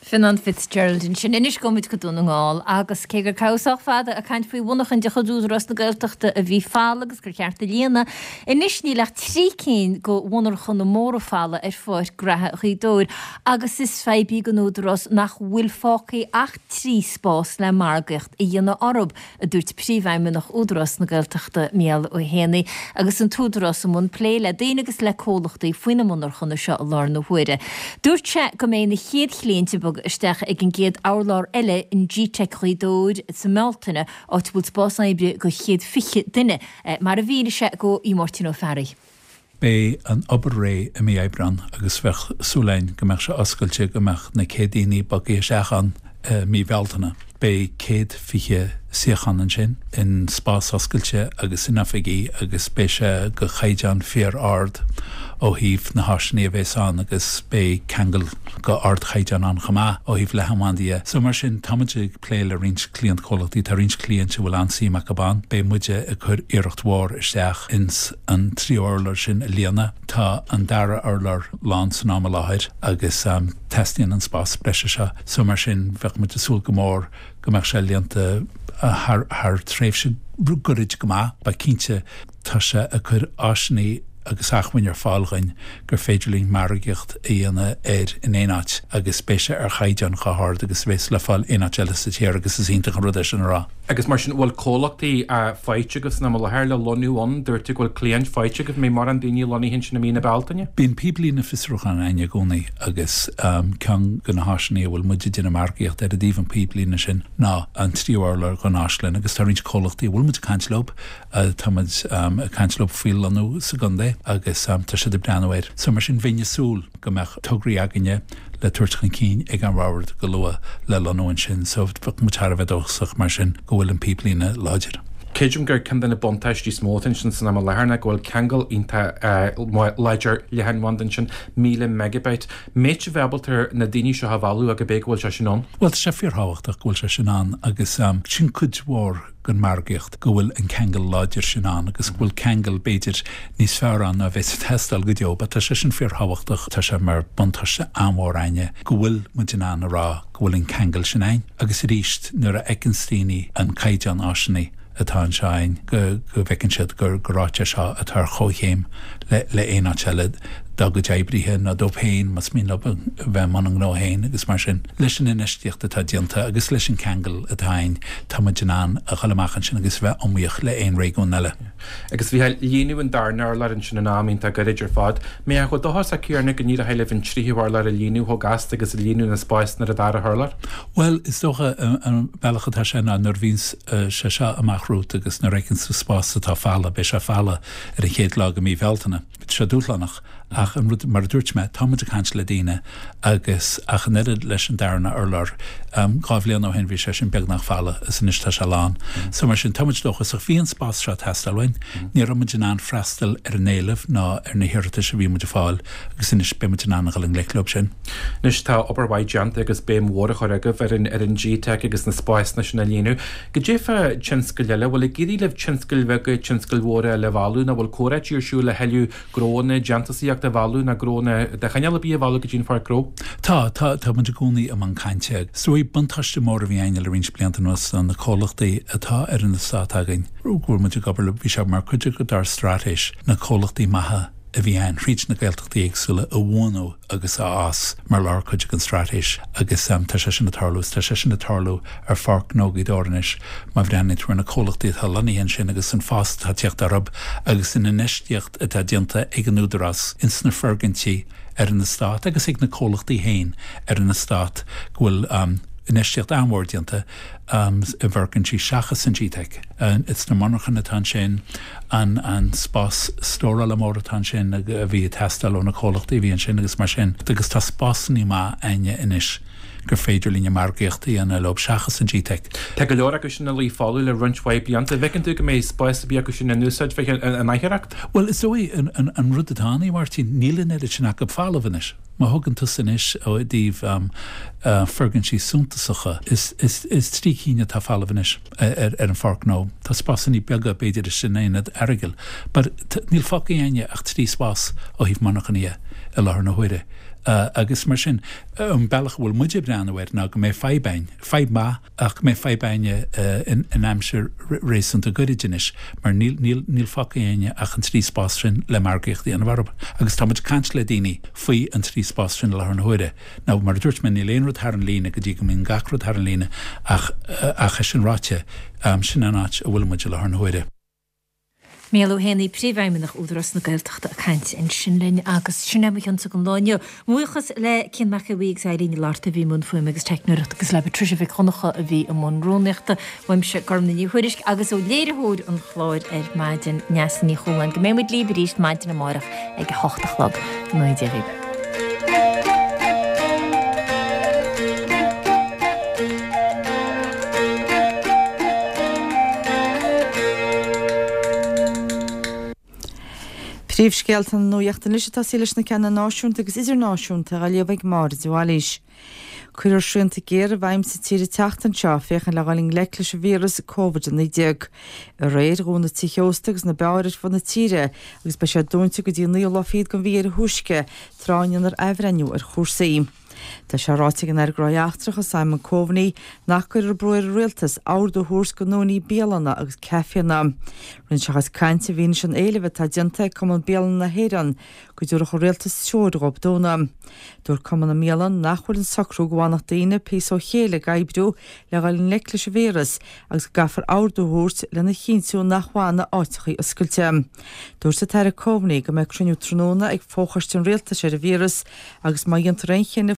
Fionnán Fitzgerald ansin. Anois gabhfaidh muid go Dún na nGall agus cé gur caitheadh sách fada ag caint faoi mhonarchain de chuid Údarás na Gaeltachta a bhí folamh agus gur cheart a líonadh, anois níl ach 3 cinn de mhonarchana móra folamh ar pháirc graithe Ghaoth Dobhair agus is fadhb í don Údarás nach bhfuil fágtha ach 3 spás le margaíocht a dhéanamh orthu. a dúirt Príomhfheidhmeannach Údarás na Gaeltachta, Mícheál Ó hÉanaí, agus an tÚdarás i mbun plé le daoine agus le comhlachtaí faoi na monarchana seo i láthair na huaire. Dúirt sé go mbeidh na chéad chliaint ag bogadh isteach ag an gcéad urlár eile in Gteic Ghaoth Dobhair sa mBealtaine, áit a bhfuil spás oibre do 120 duine, mar a mhínigh sé do Mháirtín Ó Fearraigh. Beidh an obair réidh i mí Aibreán agus bheadh súil againn go mbeadh sé oscailte, go mbeadh na céad daoine bogtha isteach ann i mí Bhealtaine. Beidh 120 suíochán ansin, in spás oscailte agus in oifigí agus beidh sé go chaighdeán fíor ard ó thaobh na háiseanna a bhéas ann agus beidh ceangal go ardchaighdeán ann chomh maith ó thaobh leathanbhandaí dhe. So mar sin tá muid ag plé le roinnt cliantchomhlachtaí, tá roinnt cliaint a bhfuil an-suim acu ann. Beidh muide ag cur iarracht mhór isteach ins an tríú urlár sin a líonadh. Tá an dara urlár lán san am i láthair agus teastaíonn an spás breise seo. So mar sin bheadh muid ag súil go mór go mbeadh sé líonta thar thar tréimhse goirid go maith. But cinnte tá sé ag cur áiseanna agus acmhainn ar fáil dhuinn gur féidir linn margaíocht a dhéanamh air in aon áit agus beidh sé ar chaighdeán chomh hard agus a bhéas le fáil aon áit eile sa tír agus is iontach an rud é sin a rá. Agus mar sin, bhfuil comhlachtaí faighte agat san am i láthair le lonnú ann? Dúirt tú go bhfuil cliaint faighte agat, an mbeidh mórán daoine lonnaithe ansin i mí na Bealtaine? Bíonn píblíne fiosrúcháin againn i gcónaí agus ceann de na háiseanna a bhfuil muid ag déanamh margaíocht ar i dtaobh an píblíne sin ná an tríú urlár den áislann agus tá roinnt comhlachtaí a bhfuil muid ag caint leo, tá muid ag caint leo faoi lonnú sa gcontae agus tá siad ag breathnú air. So mar sin bheinn ag súil go mbeadh tograí againne le tabhairt chun cinn ag an bhord go luath le lonnú ansin so bheadh muid thar a bheith dóchasach mar sin go bhfuil an píblíne láidir. Creidim gur ceann de na buntáistí is mó atá ansin san am i láthair ná go bhfuil ceangal iontach láidir leathanbhanda ansin, 1000 megabyte. Mbeidh sibh ábalta na daoine seo a mhealladh agus b'é go bhfuil sé sin ann? Bhuel tá sé fíorthábhachtach go bhfuil sé sin ann agus sin cuid mhór den mhargaíocht, go bhfuil an ceangal láidir sin ann agus go bhfuil ceangal, b'fhéidir, níos fearr ann ná a bheas ag teastáil go deo. But tá sé sin fíorthábhachtach, tá sé mar buntáiste an-mhór a'inne go bhfuil muid in ann a rá go bhfuil an ceangal sin a'inn. Agus arís, nuair a fheiceanns daoine an caighdeán áiseanna atá anseo a'inn, go, go bhfeiceann siad gur, gur áit é seo atá ar chomhchéim le, le aon áit eile. dá gcuid oibrithe nó dóibh féin más mian leo a bheith i mbun a ngnó féin agus mar sin. Leis an infheistíocht atá déanta agus leis an ceangal atá againn, tá muid in ann a dhul amach ansin agus a bheith iomaíoch le aon réigiún eile. Agus a Mhícheáil, líonadh an darna urlár ansin in am iontach gairid ar fad. Mbeadh chomh dóchasach céanna go n-éireoidh libh an tríú hurlár a líonadh chomh gasta agus a líonadh na spásanna ar an dara hurlár? Bhuel, is dócha an bealach atá sé ná nuair a bhíonns sé seo amach romhat agus nuair a fheiceanns tú spás atá folamh, beidh sé folamh ar an chéad lá de mhí Bhealtaine. Tá sé dúshlánach ach an rud, mar a dúirt mé, tá muid ag caint le daoine agus ach an oiread leis an darna urlár, 2 bhliain ó shin bhí sé sin beagnach folamh is anois tá sé lán. So mar sin, tá muid dóchasach. Bhí an spás seo ag teastáil uainn. Ní raibh muid in ann freastal ar an éileamh ná ar na hiarratais a bhí muid ag fáil agus anois beidh muid in ann a dhul i ngleic leo sin. Anois tá obair mhaith déanta agus béim mhór á chur agaibh ar an ar an GTeic agus na spásanna sin a líonadh. Goidé fá tionscail eile, bhfuil ag éirí libh tionscail bheaga, tionscail mhóra eile a mhealladh nó bhfuil comhráití ar siúl le thuilleadh gnóanna déantúsaíochta a mhealladh nó gnóanna de chineál ar bith a mhealladh go dtí an Pháirc Ghnó? Tá, tá, tá muid i gcónaí i mbun cainte. Is dóigh, buntáiste mór a bhí againn le roinnt blianta anuas ná na comhlachtaí atá ar an eastát againn, go bhfuil muid ag obair leo, bhí sé mar chuid dár straitéis na comhlachtaí maithe a bhí ann thríd na Gaeltachtaí éagsúla a bhuanú agus a fhás mar lárchuid den straitéis agus tá sé sin ag tarlú is tá sé sin ag tarlú ar Pháirc Ghnó Ghaoth Dobhair anois má bhreathnaíonn tú ar na comhlachtaí atá lonnaithe ansin agus an fás atá ag teacht orthu agus an infheistíocht atá déanta ag an Údarás ins na foirgintí ar an eastát agus ag na comhlachtaí féin ar an eastát go bhfuil infheistíocht an-mhór déanta i bhfoirgintí seachas an GTeic. Ins na monarchana atá ansin, an spás stórála mór atá ansin a bhí ag teastáil ó na comhlachtaí a bhí ansin agus mar sin. Agus tá spásanna maith a'inne anois gur féidir linne margaíocht a dhéanamh leo seachas an GTeic. Tá go leor acu sin ina luí folamh le roinnt mhaith blianta. An bhfeiceann tú go mbeidh spás ar bith acu sin in úsáid bheith in aichearracht? Bhuel, is dóigh an rud atá ann, a Mháirtín, níl an oiread sin acu folamh anois. Má thugann tusa anois ó i dtaobh foirgintí suntasacha, is 3 cinn atá folamh anois ar an Pháirc Ghnó. Tá spásanna beaga b'fhéidir istigh in Aonad Earagail but níl fágtha a'inne ach 3 spás ó thaobh monarchana dhe i láthair na huaire. Agus mar sin, an bealach a bhfuil muid ag breathnú air ná go mbeidh fadhb a'inn, fadhb maith, ach go mbeidh fadhb a'inne in aimsir réasúnta goirid anois mar níl, níl, níl fágtha a'inne ach an 3 spás sin le margaíocht a dhéanamh orthu. Agus tá muid ag caint le daoine faoi an 3 spás sin i láthair na huaire. Now, mar a dúirt mé, níl aon rud thar an líne go dtí go mbíonn gach rud thar an líne ach, ach é sin ráite, sin an áit a bhfuil muid i láthair na huaire. Mícheál Ó hÉanaí, Príomhfheidhmeannach Údarás na Gaeltachta ag caint ansin linn agus sin é mo chionsa don lá inniu. Mo bhuíochas le Cian Mac Aodha Bhuí agus Eileen Ní Fhlatharta a bhí i mbun fuaime agus teicneoireachta agus le Patricia Mhic Dhonncha a bhí i mbun rúnaíochta. Uaimse Gormfhlaith Ní Thuairisg agus ó léiritheoir an chláir ar maidin, Neasa Ní Chualáin. Go mbeidh muid libh arís maidin amárach ag a hocht a chlog. Go ngnóthaí Dia dhaoibh. Príomhscéalta na Nuachta anois ag tosaí leis na ceanna náisiúnta agus idirnáisiúnta á léamh ag Máire de Bhailís. Cuirfear srianta géara i bhfeidhm sa tír an tseachtain seo féachaint le dhul i ngleic leis an víreas Covid-19. Aréir dhún na tithe ósta agus na beáir ar fud na tíre agus beidh sé dúnta go dtí an naoú lá fichead den mhí ar a thúisce tráth a ndéanfar athbhreithniú ar chúrsaí. Tá sé ráite ag an Aire Gnóthaí Eachtracha Simon Coveney nach gcuirfear brú ar an Rialtas ordú a thabhairt go ndúnfaí bialanna agus caiféanna. Rinne sé a chuid cainte i bhfianaise an éilimh atá déanta ag Cumann Bialanna na hÉireann go dtabharfadh an Rialtas treoir dhóibh dúnadh. Dúirt Cumann na mBialann nach bhfuil an socrú go bhfanfadh daoine píosa ó chéile ag oibriú le dhul i ngleic leis an víreas agus go gcaithfear ordú a thabhairt lena chinntiú nach bhfanfaidh áiteachaí oscailte. Dúirt an tAire Coveney go mbeidh cruinniú tráthnóna ag Fo-Choiste an Rialtais ar an víreas agus má dhéantar aon chinneadh.